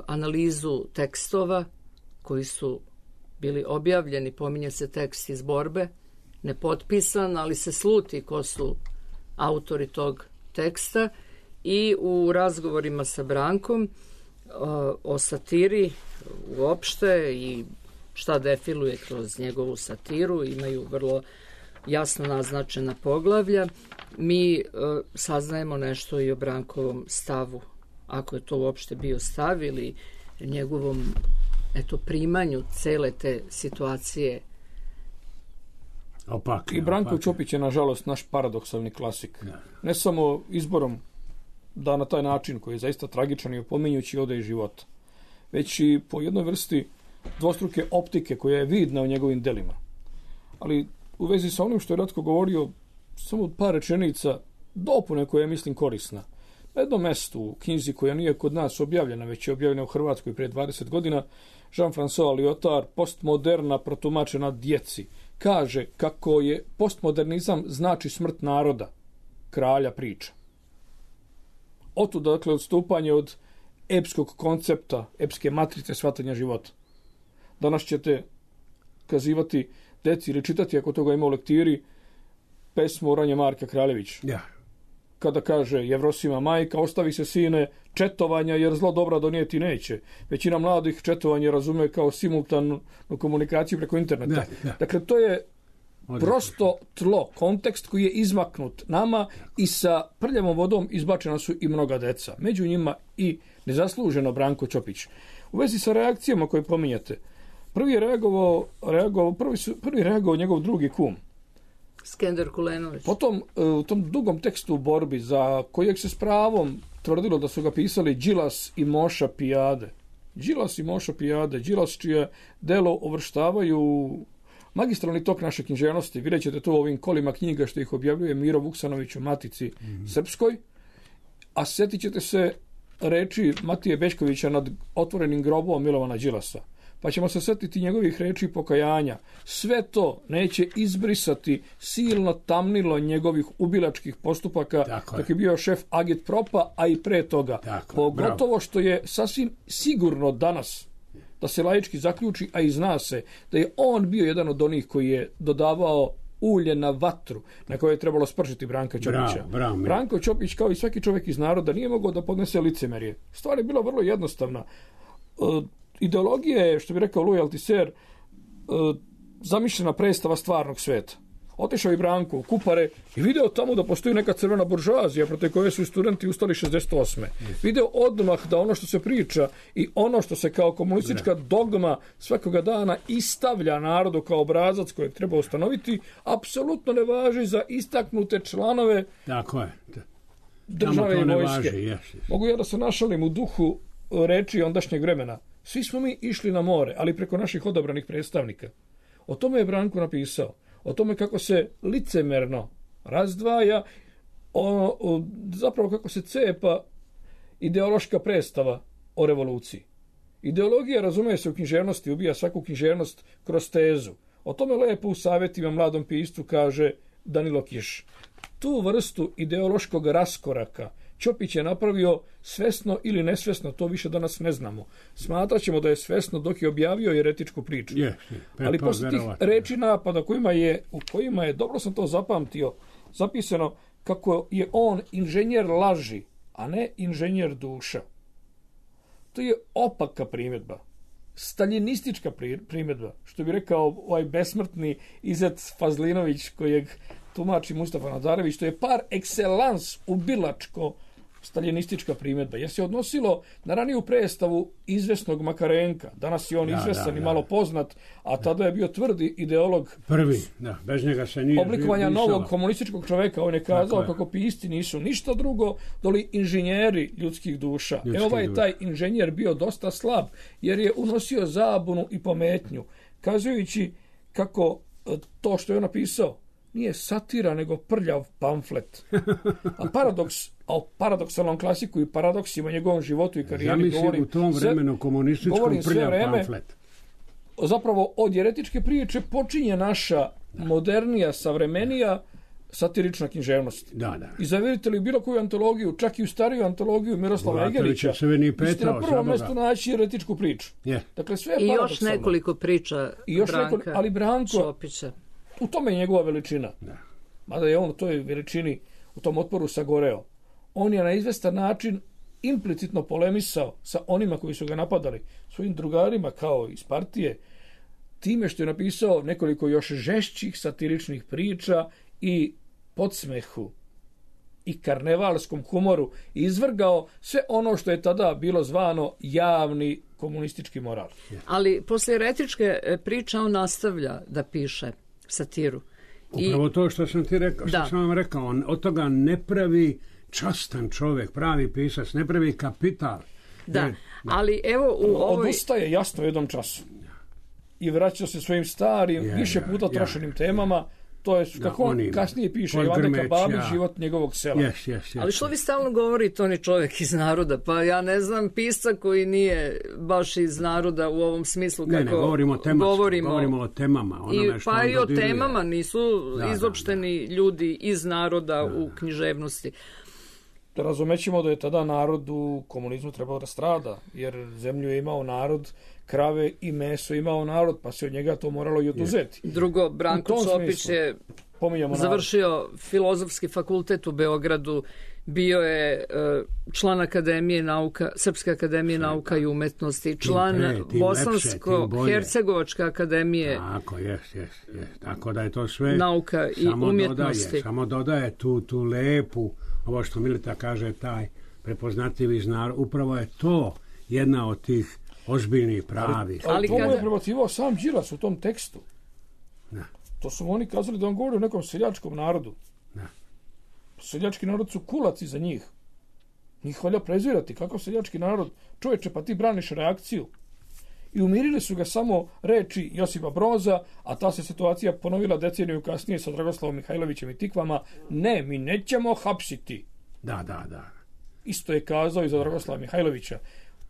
analizu tekstova koji su bili objavljeni, pominje se tekst iz Borbe, nepotpisan, ali se sluti ko su autori tog teksta. I u razgovorima sa Brankom o, o satiri uopšte i šta defiluje kroz njegovu satiru, imaju vrlo jasno naznačena poglavlja. Mi o, saznajemo nešto i o Brankovom stavu, ako je to uopšte bio stav, ili njegovom eto, primanju cele te situacije. Opak, I Branko opak. Čopić je, nažalost, naš paradoksalni klasik. Da. Ne samo izborom da na taj način, koji je zaista tragičan i opominjući ode iz života, već i po jednoj vrsti dvostruke optike koja je vidna u njegovim delima. Ali u vezi sa onim što je Ratko govorio, samo par rečenica dopune koja je, mislim, korisna. Na jednom mestu u knjizi koja nije kod nas objavljena, već je objavljena u Hrvatskoj prije dvadeset godina, Jean-François Lyotard, Postmoderna protumačena djeci, kaže kako je postmodernizam znači smrt naroda, kralja priča. Otud, dakle, odstupanje od epskog koncepta, epske matrice shvatanja života. Danas ćete kazivati deci ili čitati, ako toga ima u lektiri, pesmu Oranje Marka Kraljevića. Ja. Kada kaže Jevrosima majka, ostavi se sine četovanja jer zlo dobra donijeti neće. Većina mladih četovanje razume kao simultanu komunikaciju preko interneta. Da, da. Dakle, to je prosto tlo, kontekst koji je izmaknut nama i sa prljavom vodom izbačena su i mnoga deca. Među njima i nezasluženo Branko Ćopić. U vezi sa reakcijama koje pominjete, prvi je reagovao, reagovao prvi, su, prvi reagovao njegov drugi kum. Skender Kulenović. Potom, u tom dugom tekstu u borbi, za kojeg se s pravom tvrdilo da su ga pisali Đilas i Moša Pijade. Đilas i Moša Pijade, Đilas čije delo uvrštavaju magistralni tok naše književnosti. Vidjet ćete to u ovim kolima knjiga što ih objavljuje Miro Vuksanović u Matici mm-hmm. Srpskoj. A sjetit ćete se reči Matije Bečkovića nad otvorenim grobom Milovana Đilasa. Pa ćemo se sjetiti njegovih reči pokajanja. Sve to neće izbrisati silno tamnilo njegovih ubilačkih postupaka Tako dok je. je bio šef Agitpropa, a i pre toga. Tako, Pogotovo bravo. što je sasvim sigurno danas, da se laički zaključi, a i zna se, da je on bio jedan od onih koji je dodavao ulje na vatru na kojoj je trebalo spršiti Branka Ćopića. Bravo, bravo, Branko Ćopić, kao i svaki čovjek iz naroda, nije mogao da podnese licemerje. Stvar je bila vrlo jednostavna. Uh, ideologija je, što bi rekao Louis Althusser, uh, zamišljena predstava stvarnog sveta. Otišao i Branko u Kupare i video tamo da postoji neka crvena buržoazija protiv koje su studenti ustali šezdeset osme. Video odmah da ono što se priča i ono što se kao komunistička dogma svakoga dana istavlja narodu kao obrazac kojeg treba ustanoviti, apsolutno ne važi za istaknute članove Tako je. države i ne vojske. važi, yes, yes. Mogu ja da se našalim u duhu reči ondašnjeg vremena. Svi smo mi išli na more, ali preko naših odabranih predstavnika. O tome je Branko napisao. O tome kako se licemerno razdvaja, o, o, zapravo kako se cepa ideološka predstava o revoluciji. Ideologija, razume se, u književnosti ubija svaku književnost kroz tezu. O tome lepo u savjetima mladom piscu kaže Danilo Kiš. Tu vrstu ideološkog raskoraka Ćopić je napravio svesno ili nesvesno, to više danas ne znamo. Smatrat ćemo da je svesno dok je objavio jeretičku priču. Yes, yes. Ali posle tih reči napada kojima je, u kojima je, dobro sam to zapamtio, zapisano kako je on inženjer laži, a ne inženjer duša. To je opaka primjedba. Staljinistička primjedba, što bi rekao ovaj besmrtni Izet Fazlinović kojeg tumači Mustafa Nadarević, to je par excellence ubilačko staljinistička primjedba, jer se odnosilo na raniju predstavu izvesnog Makarenka. Danas je on da, izvestan da, i malo da. poznat, a tada je bio tvrdi ideolog Prvi, da, bez njega se nije oblikovanja pisala. novog komunističkog čoveka. On je kazao kako pisci nisu ništa drugo doli inženjeri ljudskih duša. Ljudski e ovaj duša. taj inženjer bio dosta slab, jer je unosio zabunu i pometnju, kazujući kako to što je on napisao nije satira, nego prljav pamflet. A paradoks, a o paradoksalnom klasiku i paradoksima njegovom životu i karijeri Zamisli govorim. u tom vremenu komunističkom prljav pamflet. Zapravo od jeretičke priče počinje naša da. modernija, savremenija satirična književnost. Da, da. I zavirite li bilo koju antologiju, čak i u stariju antologiju Miroslava Egerića, vi ste na prvom mjestu naći jeretičku priču. Yeah. Dakle, sve je I paradoksalno. još nekoliko priča I još Branka nekoliko, ali Branko, Ćopića. U tome je njegova veličina. Da. Mada je on u toj veličini, u tom otporu sagoreo. On je na izvestan način implicitno polemisao sa onima koji su ga napadali, svojim drugarima kao iz partije, time što je napisao nekoliko još žešćih satiričnih priča i podsmehu i karnevalskom humoru i izvrgao sve ono što je tada bilo zvano javni komunistički moral. Ali poslije jeretičke priče on nastavlja da piše satiru. Upravo I... to što sam ti rekao, što da. sam vam rekao, on od toga ne pravi častan čovjek, pravi pisac, ne pravi kapital. Da, ne, ali evo u ovoj... Odustaje jasno u jednom času. I vraća se svojim starim, ja, više ja, puta trošenim ja. temama, To je kako on oni, kasnije piše Ivane Kababi, život njegovog sela. Yes, yes, yes, Ali što vi stalno govorite, on je čovjek iz naroda, pa ja ne znam pisca koji nije baš iz naroda u ovom smislu kako ne, ne, govorimo o tematsko, govorimo, govorimo o temama. Onome I, što pa i o dodiruje. temama, nisu da, izopšteni da, da. ljudi iz naroda da, u književnosti. Da razumećemo da je tada narod u komunizmu trebao da strada, jer zemlju je imao narod, krave i meso imao narod, pa se od njega to moralo i oduzeti. Drugo, Branko Čopić je završio narod. Filozofski fakultet u Beogradu, bio je uh, član Akademije nauka, Srpske akademije Sve, nauka i umetnosti, član Bosansko-Hercegovačke akademije. Tako, jes, jes, jes. Tako da je to sve nauka i samo umjetnosti. Dodaje, samo dodaje tu, tu lepu, ovo što Mileta kaže, taj prepoznatljivi znar, upravo je to jedna od tih ozbiljnih pravih. Ali, ali to kada... je prebacivao sam Đilas u tom tekstu. Da. To su oni kazali da on govori o nekom seljačkom narodu. Da. Seljački narod su kulaci za njih. Njih valja prezirati. Kako seljački narod? Čovječe, pa ti braniš reakciju. I umirili su ga samo reči Josipa Broza, a ta se situacija ponovila deceniju kasnije sa Dragoslavom Mihajlovićem i Tikvama. Ne, mi nećemo hapsiti. Da, da, da. Isto je kazao i za Dragoslava Mihajlovića.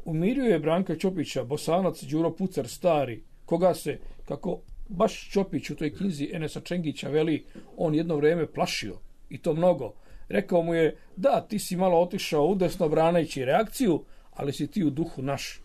Umirio je Branka Ćopića, Bosanac Đuro Pucar stari, koga se, kako baš Ćopić u toj knjizi Enesa Čengića veli, on jedno vrijeme plašio, i to mnogo. Rekao mu je, da, ti si malo otišao udesno branajući reakciju, ali si ti u duhu naš.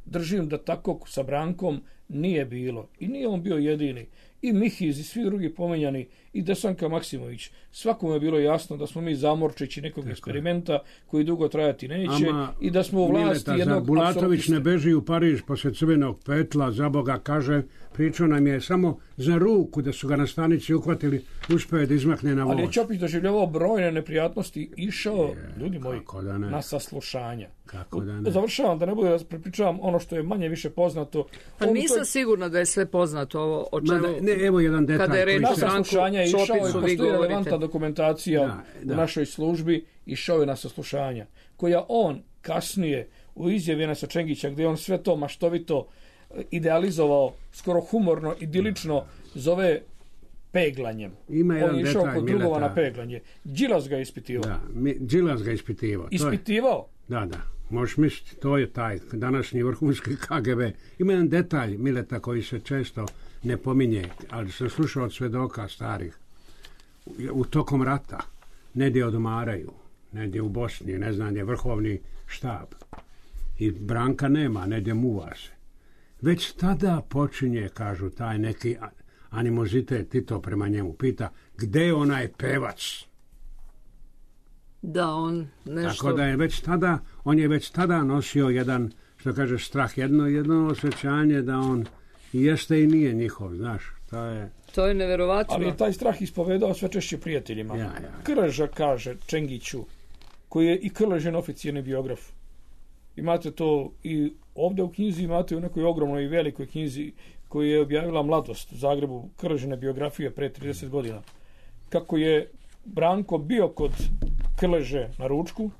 Držim da tako sa Brankom nije bilo. I nije on bio jedini. I Mihiz i svi drugi pomenjani, i Desanka Maksimović. Svakome je bilo jasno da smo mi zamorčići nekog tako eksperimenta je. Koji dugo trajati neće. Ama, i da smo u vlasti Mileta, jednog Bulatović ne beži u Pariž posle crvenog petla, za Boga kaže, pričao nam je samo za ruku da su ga na stanici uhvatili, uspeo da izmakne na voz. Ali je Ćopić doživljavao brojne neprijatnosti, išao, je, ljudi moji, da na saslušanja. Kako da ne? Završavam, da ne bude da prepričavam ono što je manje više poznato. Pa nisam toj... sigurna da je sve poznato ovo o čemu... Ne, evo jedan detalj. Kada je reč na saslušanja išao i postoji relevantna dokumentacija da, da. u našoj službi, išao je na saslušanja, koja on kasnije u izjavi Enesa Čengića, gdje on sve to maštovito idealizovao, skoro humorno, idilično, zove peglanjem. Ima on je išao kod drugova na peglanje. Đilas ga je ispitivao. Da, mi, Đilas ga je ispitivao. Ispitivao? Je, da, da. Možeš misliti, to je taj današnji vrhunski K G B. Ima jedan detalj, Mileta, koji se često ne pominje, ali sam slušao od svedoka starih. U tokom rata negdje odmaraju, negdje u Bosni, ne znam, je vrhovni štab. I Branka nema, negdje muva se. Već tada počinje, kažu, taj neki animozitet Tito prema njemu. Pita, gde je onaj pevac? Da, on nešto... Tako da je već tada, on je već tada nosio jedan, što kaže, strah, jedno, jedno osjećanje da on jeste i nije njihov, znaš, to je... To je neverovatno. Ali je taj strah ispovedao sve češće prijateljima. Ja, ja, ja. Krleža kaže Čengiću, koji je i Krležin oficijalni biograf. Imate to i ovdje u knjizi, imate u nekoj ogromnoj i velikoj knjizi koju je objavila Mladost u Zagrebu, Krležine biografije pre trideset godina. Kako je Branko bio kod Krleže na ručku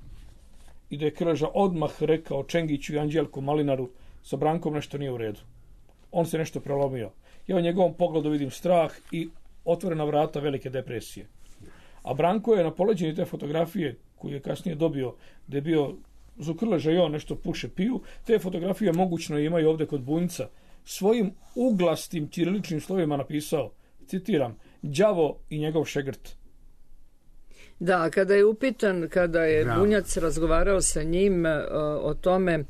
i da je Krleža odmah rekao Čengiću i Anđelku Malinaru, sa Brankom nešto nije u redu. On se nešto prelomio. Ja u njegovom pogledu vidim strah i otvorena vrata velike depresije. A Branko je na poleđenju te fotografije koju je kasnije dobio, da je bio za Krleža i on nešto puše piju, te fotografije mogućno imaju ovdje kod Bunjca, svojim uglastim ćiriličnim slovima napisao, citiram, đavo i njegov šegrt. Da, kada je upitan, kada je Bravo. Bunjac razgovarao sa njim uh, o tome uh,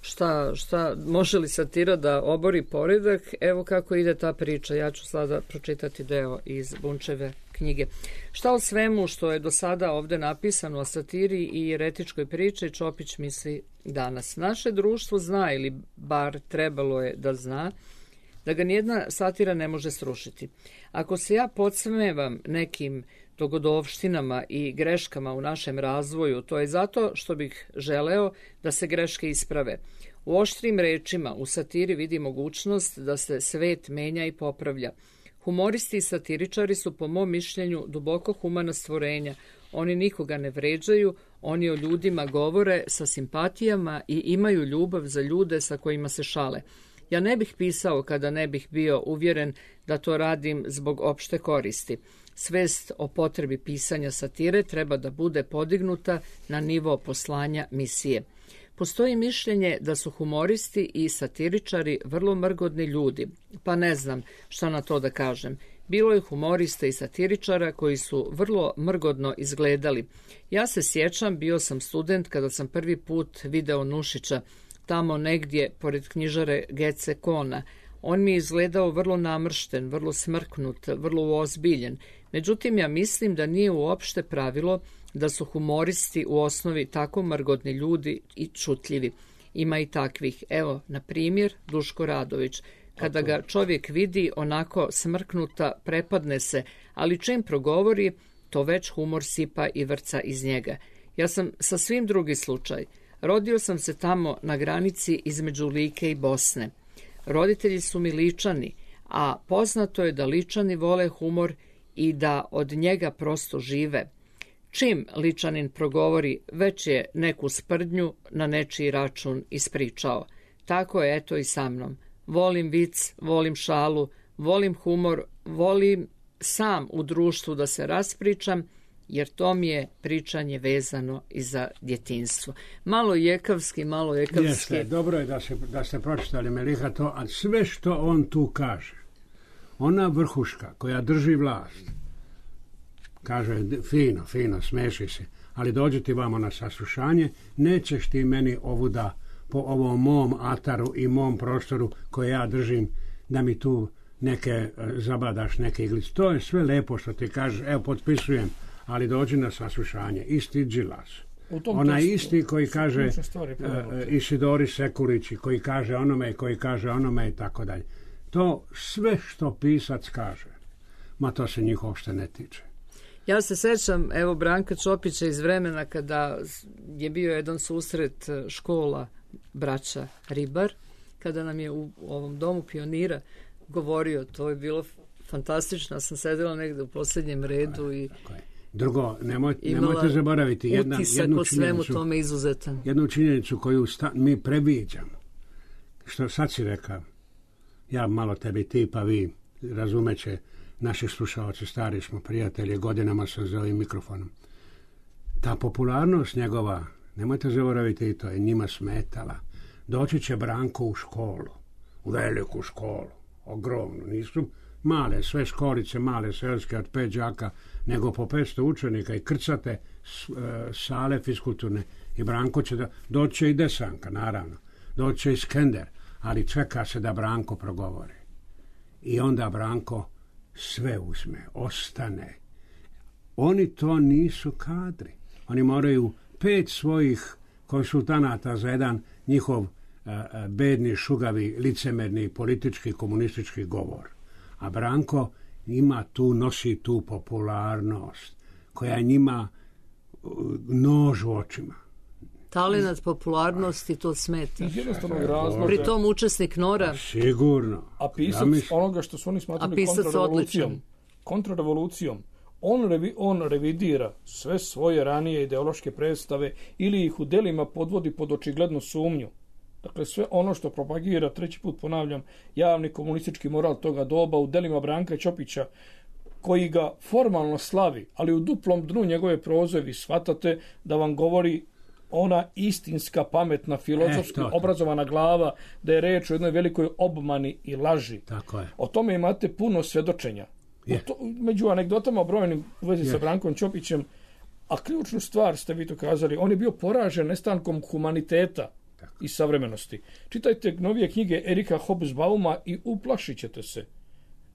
šta, šta može li satira da obori poredak, evo kako ide ta priča. Ja ću sada pročitati deo iz Bunčeve knjige. Šta o svemu što je do sada ovdje napisano o satiri i eretičkoj priči Čopić misli danas? Naše društvo zna, ili bar trebalo je da zna, da ga nijedna satira ne može srušiti. Ako se ja podsmevam nekim dogodovštinama i greškama u našem razvoju, to je zato što bih želeo da se greške isprave. U oštrim rečima u satiri vidi mogućnost da se svet menja i popravlja. Humoristi i satiričari su po mom mišljenju duboko humana stvorenja. Oni nikoga ne vređaju, oni o ljudima govore sa simpatijama i imaju ljubav za ljude sa kojima se šale. Ja ne bih pisao kada ne bih bio uvjeren da to radim zbog opšte koristi. Svest o potrebi pisanja satire treba da bude podignuta na nivo poslanja misije. Postoji mišljenje da su humoristi i satiričari vrlo mrgodni ljudi, pa ne znam šta na to da kažem. Bilo je humorista i satiričara koji su vrlo mrgodno izgledali. Ja se sjećam, bio sam student kada sam prvi put video Nušića, tamo negdje pored knjižare Gece Kona. On mi je izgledao vrlo namršten, vrlo smrknut, vrlo uozbiljen. Međutim, ja mislim da nije uopšte pravilo da su humoristi u osnovi tako mrgodni ljudi i čutljivi. Ima i takvih. Evo, na primjer, Duško Radović. Kada ga čovjek vidi onako smrknuta, prepadne se, ali čim progovori, to već humor sipa i vrca iz njega. Ja sam sasvim drugi slučaj. Rodio sam se tamo na granici između Like i Bosne. Roditelji su mi Ličani, a poznato je da Ličani vole humor i da od njega prosto žive. Čim Ličanin progovori, već je neku sprdnju na nečiji račun ispričao. Tako je eto i sa mnom. Volim vic, volim šalu, volim humor, volim sam u društvu da se raspričam, jer to mi je pričanje vezano i za djetinjstvo. Malo jekavski, malo jekavski. Jeste, dobro je da, se, da ste pročitali Meliha to, a sve što on tu kaže, ona vrhuška koja drži vlast, kaže fino, fino, smeši se, ali dođi ti vamo na saslušanje, nećeš ti meni ovuda po ovom mom ataru i mom prostoru koje ja držim, da mi tu neke zabadaš, neke iglice. To je sve lepo što ti kažeš, evo potpisujem, ali dođi na saslušanje. Isti džilas. Ona isti koji kaže uh, Isidori Sekurići, koji kaže onome, koji kaže onome i tako dalje. To sve što pisac kaže, ma to se njih uopšte ne tiče. Ja se sećam, evo, Branka Čopića iz vremena kada je bio jedan susret škola braća Ribar, kada nam je u ovom domu pionira govorio, to je bilo fantastično, sam sedela negde u posljednjem redu i drugo, nemoj, nemojte zaboraviti jedna, jednu činjenicu, tome izuzetan. jednu činjenicu koju sta, mi previđamo, što sad si rekao, ja malo tebi, ti pa vi razumeće, naši slušalci, stari smo prijatelji, godinama sam za ovim mikrofonom. Ta popularnost njegova, nemojte zaboraviti i to, je njima smetala. Doći će Branko u školu, u veliku školu, ogromnu, nisu male, sve školice, male, selske od pet đaka, nego po petsto učenika i krcate sale fiskulturne. I Branko će da, doći i Desanka, naravno, doći i Skender, ali čeka se da Branko progovori. I onda Branko sve uzme, ostane. Oni to nisu kadri. Oni moraju pet svojih konsultanata za jedan njihov a, a, bedni, šugavi, licemerni, politički, komunistički govor. A Branko ima tu, nosi tu popularnost koja njima nož u očima. Talenat popularnosti to smeta. Iz jednostavnog razloga. Pri tom učesnik Nora. Sigurno. A pisac ja onoga što su oni smatrali kontrarevolucijom. Kontrarevolucijom. On, revi, on revidira sve svoje ranije ideološke predstave ili ih u delima podvodi pod očiglednu sumnju. Dakle, sve ono što propagira, treći put ponavljam, javni komunistički moral toga doba u delima Branka Ćopića, koji ga formalno slavi, ali u duplom dnu njegove proze vi shvatate da vam govori ona istinska, pametna, filozofski e, obrazovana glava, da je reč o jednoj velikoj obmani i laži. Tako je. O tome imate puno svedočenja. To, među anegdotama brojnim u vezi je. sa Brankom Ćopićem, a ključnu stvar ste vi to kazali, on je bio poražen nestankom humaniteta Tako. i savremenosti. Čitajte novije knjige Erika Hobsbauma i uplašit ćete se.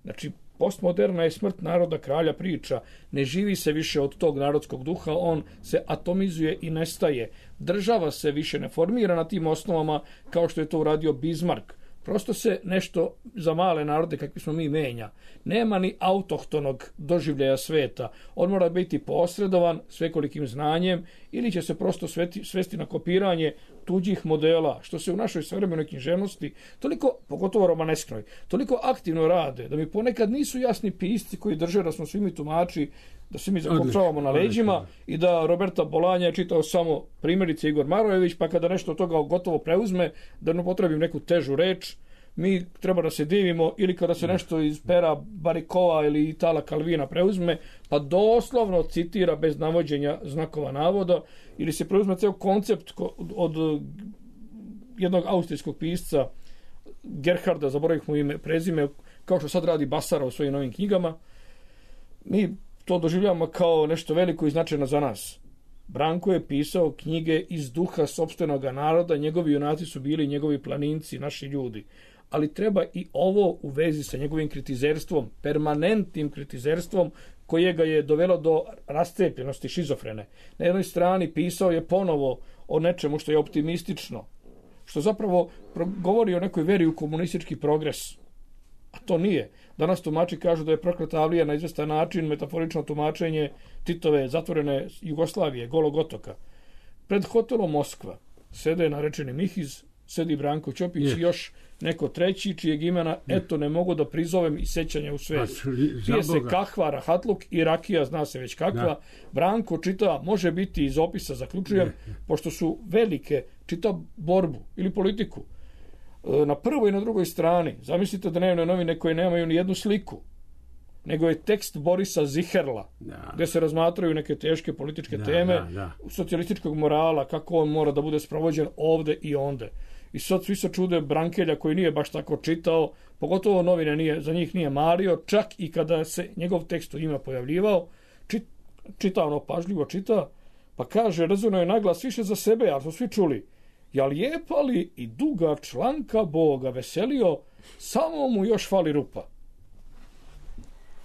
Znači, postmoderna je smrt naroda kralja priča. Ne živi se više od tog narodskog duha, on se atomizuje i nestaje. Država se više ne formira na tim osnovama kao što je to uradio Bismarck. Prosto se nešto za male narode kakvi smo mi menja. Nema ni autohtonog doživljaja sveta. On mora biti posredovan svekolikim znanjem ili će se prosto sveti, svesti na kopiranje tuđih modela, što se u našoj savremenoj književnosti toliko, pogotovo romanesknoj, toliko aktivno rade, da mi ponekad nisu jasni pisci koji drže da smo svi mi tumači, da se mi zakopčavamo na leđima i da Roberta Bolanja je čitao samo primjerice Igor Marojević, pa kada nešto od toga gotovo preuzme, da ne potrebim neku težu reč, mi treba da se divimo, ili kada se nešto iz pera Barikova ili Itala Kalvina preuzme, pa doslovno citira bez navođenja znakova navoda, ili se preuzme ceo koncept od jednog austrijskog pisca Gerharda, zaboravih mu ime, prezime, kao što sad radi Basara u svojim novim knjigama. Mi to doživljavamo kao nešto veliko i značajno za nas. Branko je pisao knjige iz duha sopstvenog naroda, njegovi junaci su bili njegovi planinci, naši ljudi. Ali treba i ovo u vezi sa njegovim kritizerstvom, permanentnim kritizerstvom, koje ga je dovelo do rascepljenosti, šizofrene. Na jednoj strani pisao je ponovo o nečemu što je optimistično, što zapravo govori o nekoj veri u komunistički progres. A to nije. Danas tumači kažu da je prokleta avlija na izvestan način metaforično tumačenje Titove zatvorene Jugoslavije, Golog otoka. Pred hotelom Moskva sede narečeni Mihiz, sedi Branko Ćopić yes. i još neko treći, čijeg imena eto ne mogu da prizovem i sećanja u svezi. Pije se kahva, rahatluk i rakija, zna se već kakva. Da. Branko čita, može biti iz opisa, zaključujem, ne. pošto su velike, čita borbu ili politiku. Na prvoj i na drugoj strani, zamislite dnevne novine koje nemaju ni jednu sliku, nego je tekst Borisa Ziherla, da. gdje se razmatraju neke teške političke da, teme, da, da. socijalističkog morala, kako on mora da bude sprovođen ovde i onde. I sad svi se čude Brankelja koji nije baš tako čitao, pogotovo novine nije, za njih nije mario, čak i kada se njegov tekst u njima pojavljivao, čit, čita ono pažljivo, čita, pa kaže, rezonuje je naglas više za sebe, ali smo svi čuli, ja lijepa li i duga članka Boga veselio, samo mu još fali rupa.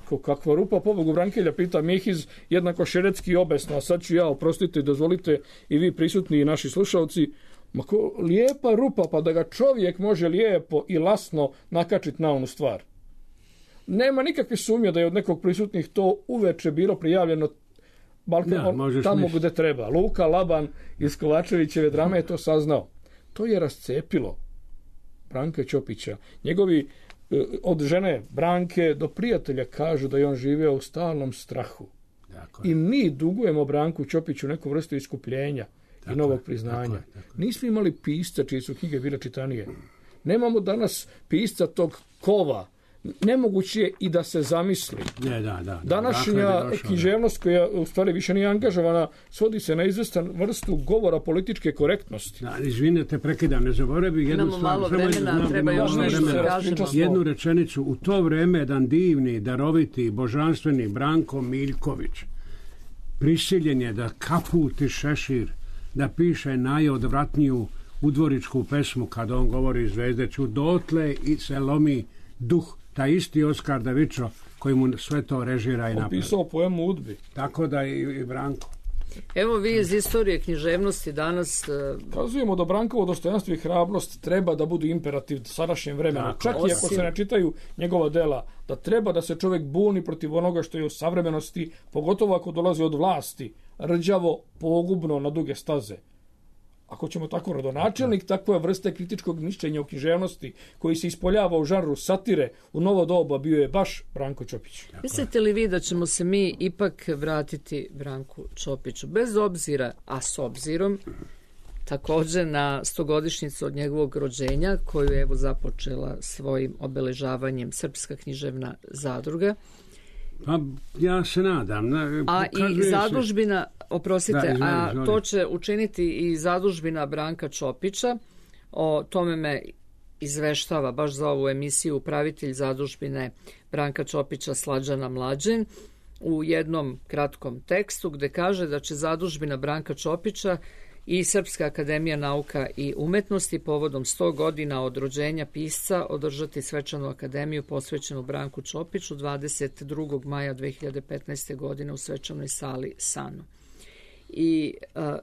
Ko kakva rupa, pobogu Brankelja, pita Mihiz, jednako šeretski obesno, a sad ću ja, oprostite, dozvolite i vi prisutni i naši slušalci, ma ko, lijepa rupa, pa da ga čovjek može lijepo i lasno nakačiti na onu stvar. Nema nikakve sumnje da je od nekog prisutnih to uveče bilo prijavljeno Balkan, ja, on, tamo gdje treba. Luka Laban iz Kovačevićeve drame je to saznao. To je rascepilo Branka Ćopića. Njegovi od žene Branke do prijatelja kažu da je on živeo u stalnom strahu. Dakle. I mi dugujemo Branku Ćopiću neku vrstu iskupljenja dakle, i novog priznanja. Dakle, dakle. Nismo imali pisca čije su knjige bile čitanije. Nemamo danas pisca tog kova. Nemoguće je i da se zamisli. Ne, da, da, današnja književnost koja u stvari više nije angažovana svodi se na izvestan vrstu govora političke korektnosti. Da, izvinite, prekidam, ne zaboravi jednu Imamo stvar. Malo vremena, treba još nešto kažemo. Jednu rečenicu. U to vreme jedan divni, daroviti, božanstveni Branko Miljković prisiljen je da kaputi šešir, da piše najodvratniju udvoričku pesmu kada on govori Zvezdeću, dotle i se lomi duh. Taj isti Oskar Davičo koji mu sve to režira i napravi. Opisao poemu Udbi. Tako da i, i Branko. Evo vi iz istorije književnosti danas... Kazujemo da Brankovo dostojanstvo i hrabrost treba da budu imperativ sadašnjem vremenu. Tako, čak i ako se ne čitaju njegova dela, da treba da se čovjek buni protiv onoga što je u savremenosti, pogotovo ako dolazi od vlasti, rđavo, pogubno na duge staze. Ako ćemo tako rodonačelnik, takva vrste kritičkog mišljenja o književnosti koji se ispoljava u žanru satire u novo doba bio je baš Branko Ćopić. Mislite li vi da ćemo se mi ipak vratiti Branku Ćopiću? Bez obzira, a s obzirom, također na stogodišnjicu od njegovog rođenja, koju je evo započela svojim obeležavanjem Srpska književna zadruga. Pa ja se nadam. Na, a i zadužbina, oprostite, da, izvoli, a izvoli. To će učiniti i zadužbina Branka Ćopića. O tome me izveštava baš za ovu emisiju upravitelj zadužbine Branka Ćopića Slađana Mlađen u jednom kratkom tekstu gdje kaže da će zadužbina Branka Ćopića i Srpska akademija nauka i umetnosti povodom sto godina od rođenja pisca održati svečanu akademiju posvećenu Branku Ćopiću dvadeset drugog maja dve hiljade petnaeste. godine u svečanoj sali Sano. I a,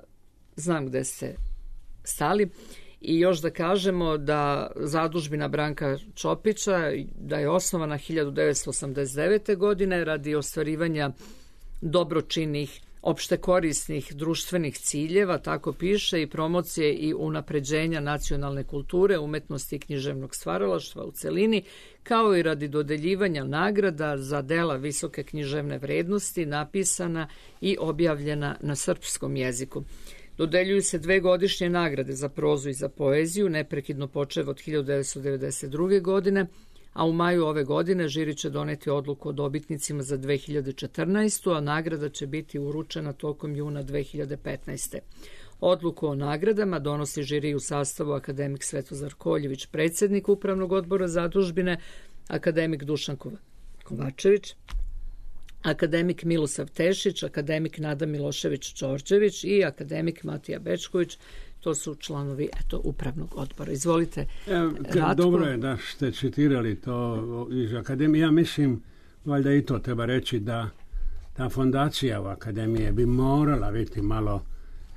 znam gde ste stali. I još da kažemo da zadužbina Branka Ćopića da je osnovana hiljadu devetsto osamdeset devete. godine radi ostvarivanja dobročinnih opštekorisnih društvenih ciljeva, tako piše, i promocije i unapređenja nacionalne kulture, umetnosti i književnog stvaralaštva u celini, kao i radi dodeljivanja nagrada za dela visoke književne vrednosti napisana i objavljena na srpskom jeziku. Dodeljuju se dve godišnje nagrade za prozu i za poeziju, neprekidno počev od hiljadu devetsto devedeset druge. godine, a u maju ove godine žiri će doneti odluku o dobitnicima za dve hiljade četrnaestu. a nagrada će biti uručena tokom juna dve hiljade petnaeste. Odluku o nagradama donosi žiri u sastavu akademik Svetozar Koljević, predsjednik Upravnog odbora Zadužbine, akademik Dušan Kovačević, akademik Milosav Tešić, akademik Nada Milošević-Đorđević i akademik Matija Bečković. To su članovi eto, Upravnog odbora. Izvolite, e, Dobro je da ste citirali to iz akademije. Ja mislim, valjda i to treba reći, da ta fondacija u akademije bi morala biti malo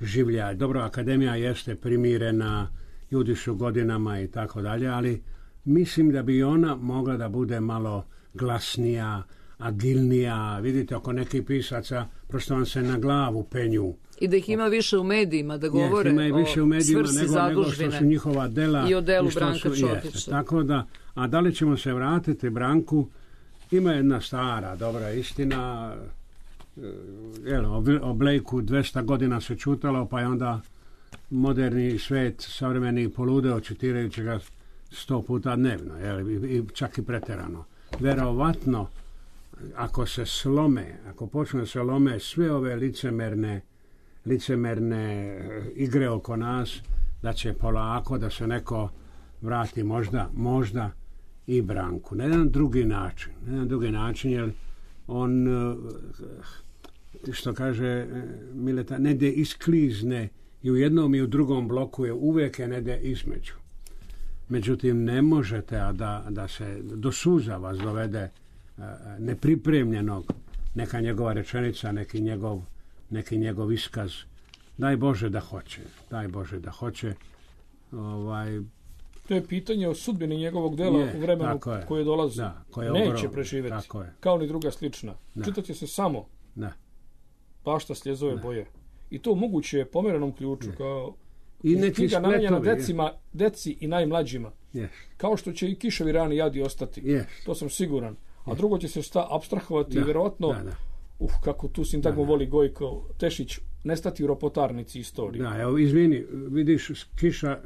življa. Dobro, akademija jeste primirena, ljudi su godinama i tako dalje, ali mislim da bi ona mogla da bude malo glasnija, agilnija. Vidite, oko nekih pisaca prosto vam se na glavu penju. I da ih ima više u medijima, da govore yes, ima i više u medijima svrsi nego, nego što su njihova dela i o delu Branka Čopića. Tako da, a da li ćemo se vratiti Branku? Ima jedna stara, dobra istina. Jel, o Blakeu dvesta godina se čutalo, pa je onda moderni svet savremeni poludeo čitirajući ga sto puta dnevno, jel, i čak i preterano. Verovatno, ako se slome, ako počne se lome sve ove licemerne, licemerne igre oko nas, da će polako da se neko vrati možda, možda i Branku. Na jedan drugi način. Na jedan drugi način, jer on, što kaže Mileta, ne de isklizne i u jednom i u drugom bloku je uvijek je ne de između. Međutim, ne možete, a da, da se do suza vas dovede nepripremljenog neka njegova rečenica, neki njegov, neki njegov iskaz. Daj Bože da hoće. Daj Bože da hoće. Ovaj, to je pitanje o sudbini njegovog dela je, u vremenu je. koje dolazi. Da, koje neće ogrom, preživjeti. Kao ni druga slična. Čitat će se samo da. Pašta sljezove da. boje. I to moguće je pomerenom ključu. Da. Kao i neki knjiga namenjena decima, deci i najmlađima. Yes. Kao što će i Kiševi rani jadi ostati. Yes. To sam siguran. A drugo će se sta abstrahovati i vjerojatno, da, da. Uh, kako tu sintagmu voli Gojko Tešić, nestati u ropotarnici istorije. Da, evo, izvini, vidiš, Kiša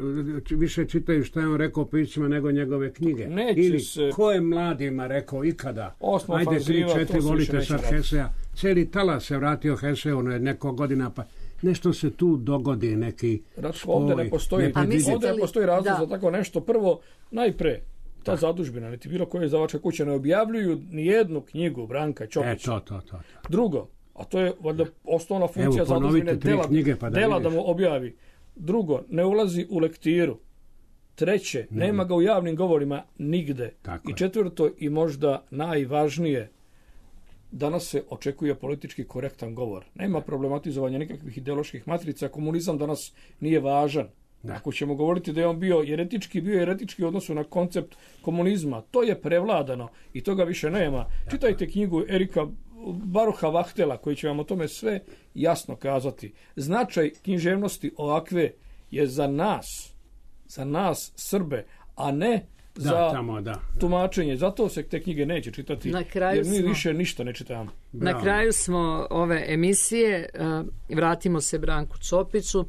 više čitaju šta je on rekao o piscima nego njegove knjige. Neće ili se... ko je mladima rekao ikada? Osma ajde, fanziva, tri, četiri, volite sad rati. Hesea. Cijeli talas se vratio Heseu neko godina, pa nešto se tu dogodi, neki Ratko, spoj. Ovdje ne postoji, ovdje ne postoji razlog da. za tako nešto. Prvo, najpre, ta da. zadužbina, niti bilo koje izdavačke kuće ne objavljuju ni jednu knjigu Branka Čopića. E, to, to, to, to. Drugo, a to je valjda osnovna funkcija Evo, zadužbine dela, knjige, pa da, dela da mu objavi. Drugo, ne ulazi u lektiru. Treće, ne. nema ga u javnim govorima nigde. Tako I četvrto, i možda najvažnije, danas se očekuje politički korektan govor. Nema problematizovanja nikakvih ideoloških matrica. Komunizam danas nije važan. Da. Ako ćemo govoriti da je on bio jeretički, bio jeretički u odnosu na koncept komunizma, to je prevladano i toga više nema. Da. Čitajte knjigu Erika Baruha Vahtela koji će vam o tome sve jasno kazati. Značaj književnosti ovakve je za nas, za nas Srbe, a ne da, za tamo, da, da. tumačenje. Zato se te knjige neće čitati, jer mi smo, više ništa ne čitamo. Na kraju smo ove emisije, vratimo se Branku Čopiću.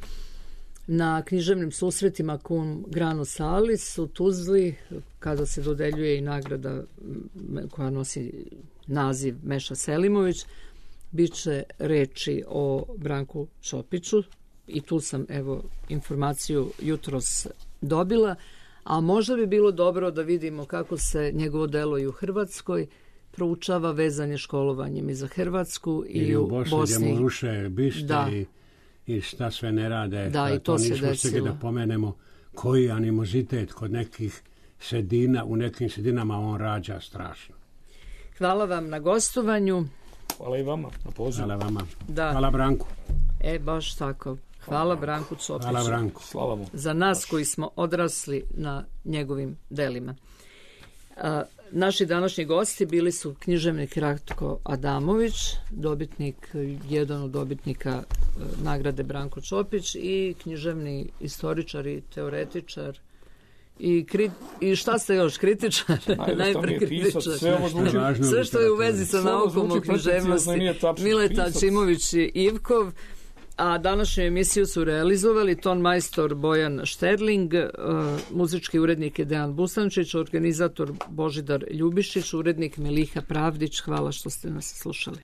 Na književnim susretima Cum Grano Salis u Tuzli, kada se dodeljuje i nagrada koja nosi naziv Meša Selimović, bit će reči o Branku Čopiću i tu sam evo informaciju jutros dobila, a možda bi bilo dobro da vidimo kako se njegovo delo i u Hrvatskoj proučava, vezanje školovanjem i za Hrvatsku i, i u Bosni. Bosni gdje mu ruše bište da. i i šta sve ne rade. Da, i to, to se desilo. Da pomenemo koji animozitet kod nekih sredina, u nekim sredinama on rađa strašno. Hvala vam na gostovanju. Hvala i vama na pozivu. Hvala vama. Da. Hvala Branku. E, baš tako. Hvala Branku Čopiću. Hvala Branku. Slava mu. Za nas koji smo odrasli na njegovim delima. A, naši današnji gosti bili su književnik Ratko Adamović, dobitnik, jedan od dobitnika nagrade Branko Čopić i književni istoričar i teoretičar i, kri, i šta ste još, kritičar? Najpre kritičar. Sve, ovo zvuči, sve što je u vezi sa naukom o književnosti. Mileta Čimović i Ivkov. A današnju emisiju su realizovali ton majstor Bojan Šterling, muzički urednik je Dejan Busančić, organizator Božidar Ljubišić, urednik Miliha Pravdić. Hvala što ste nas slušali.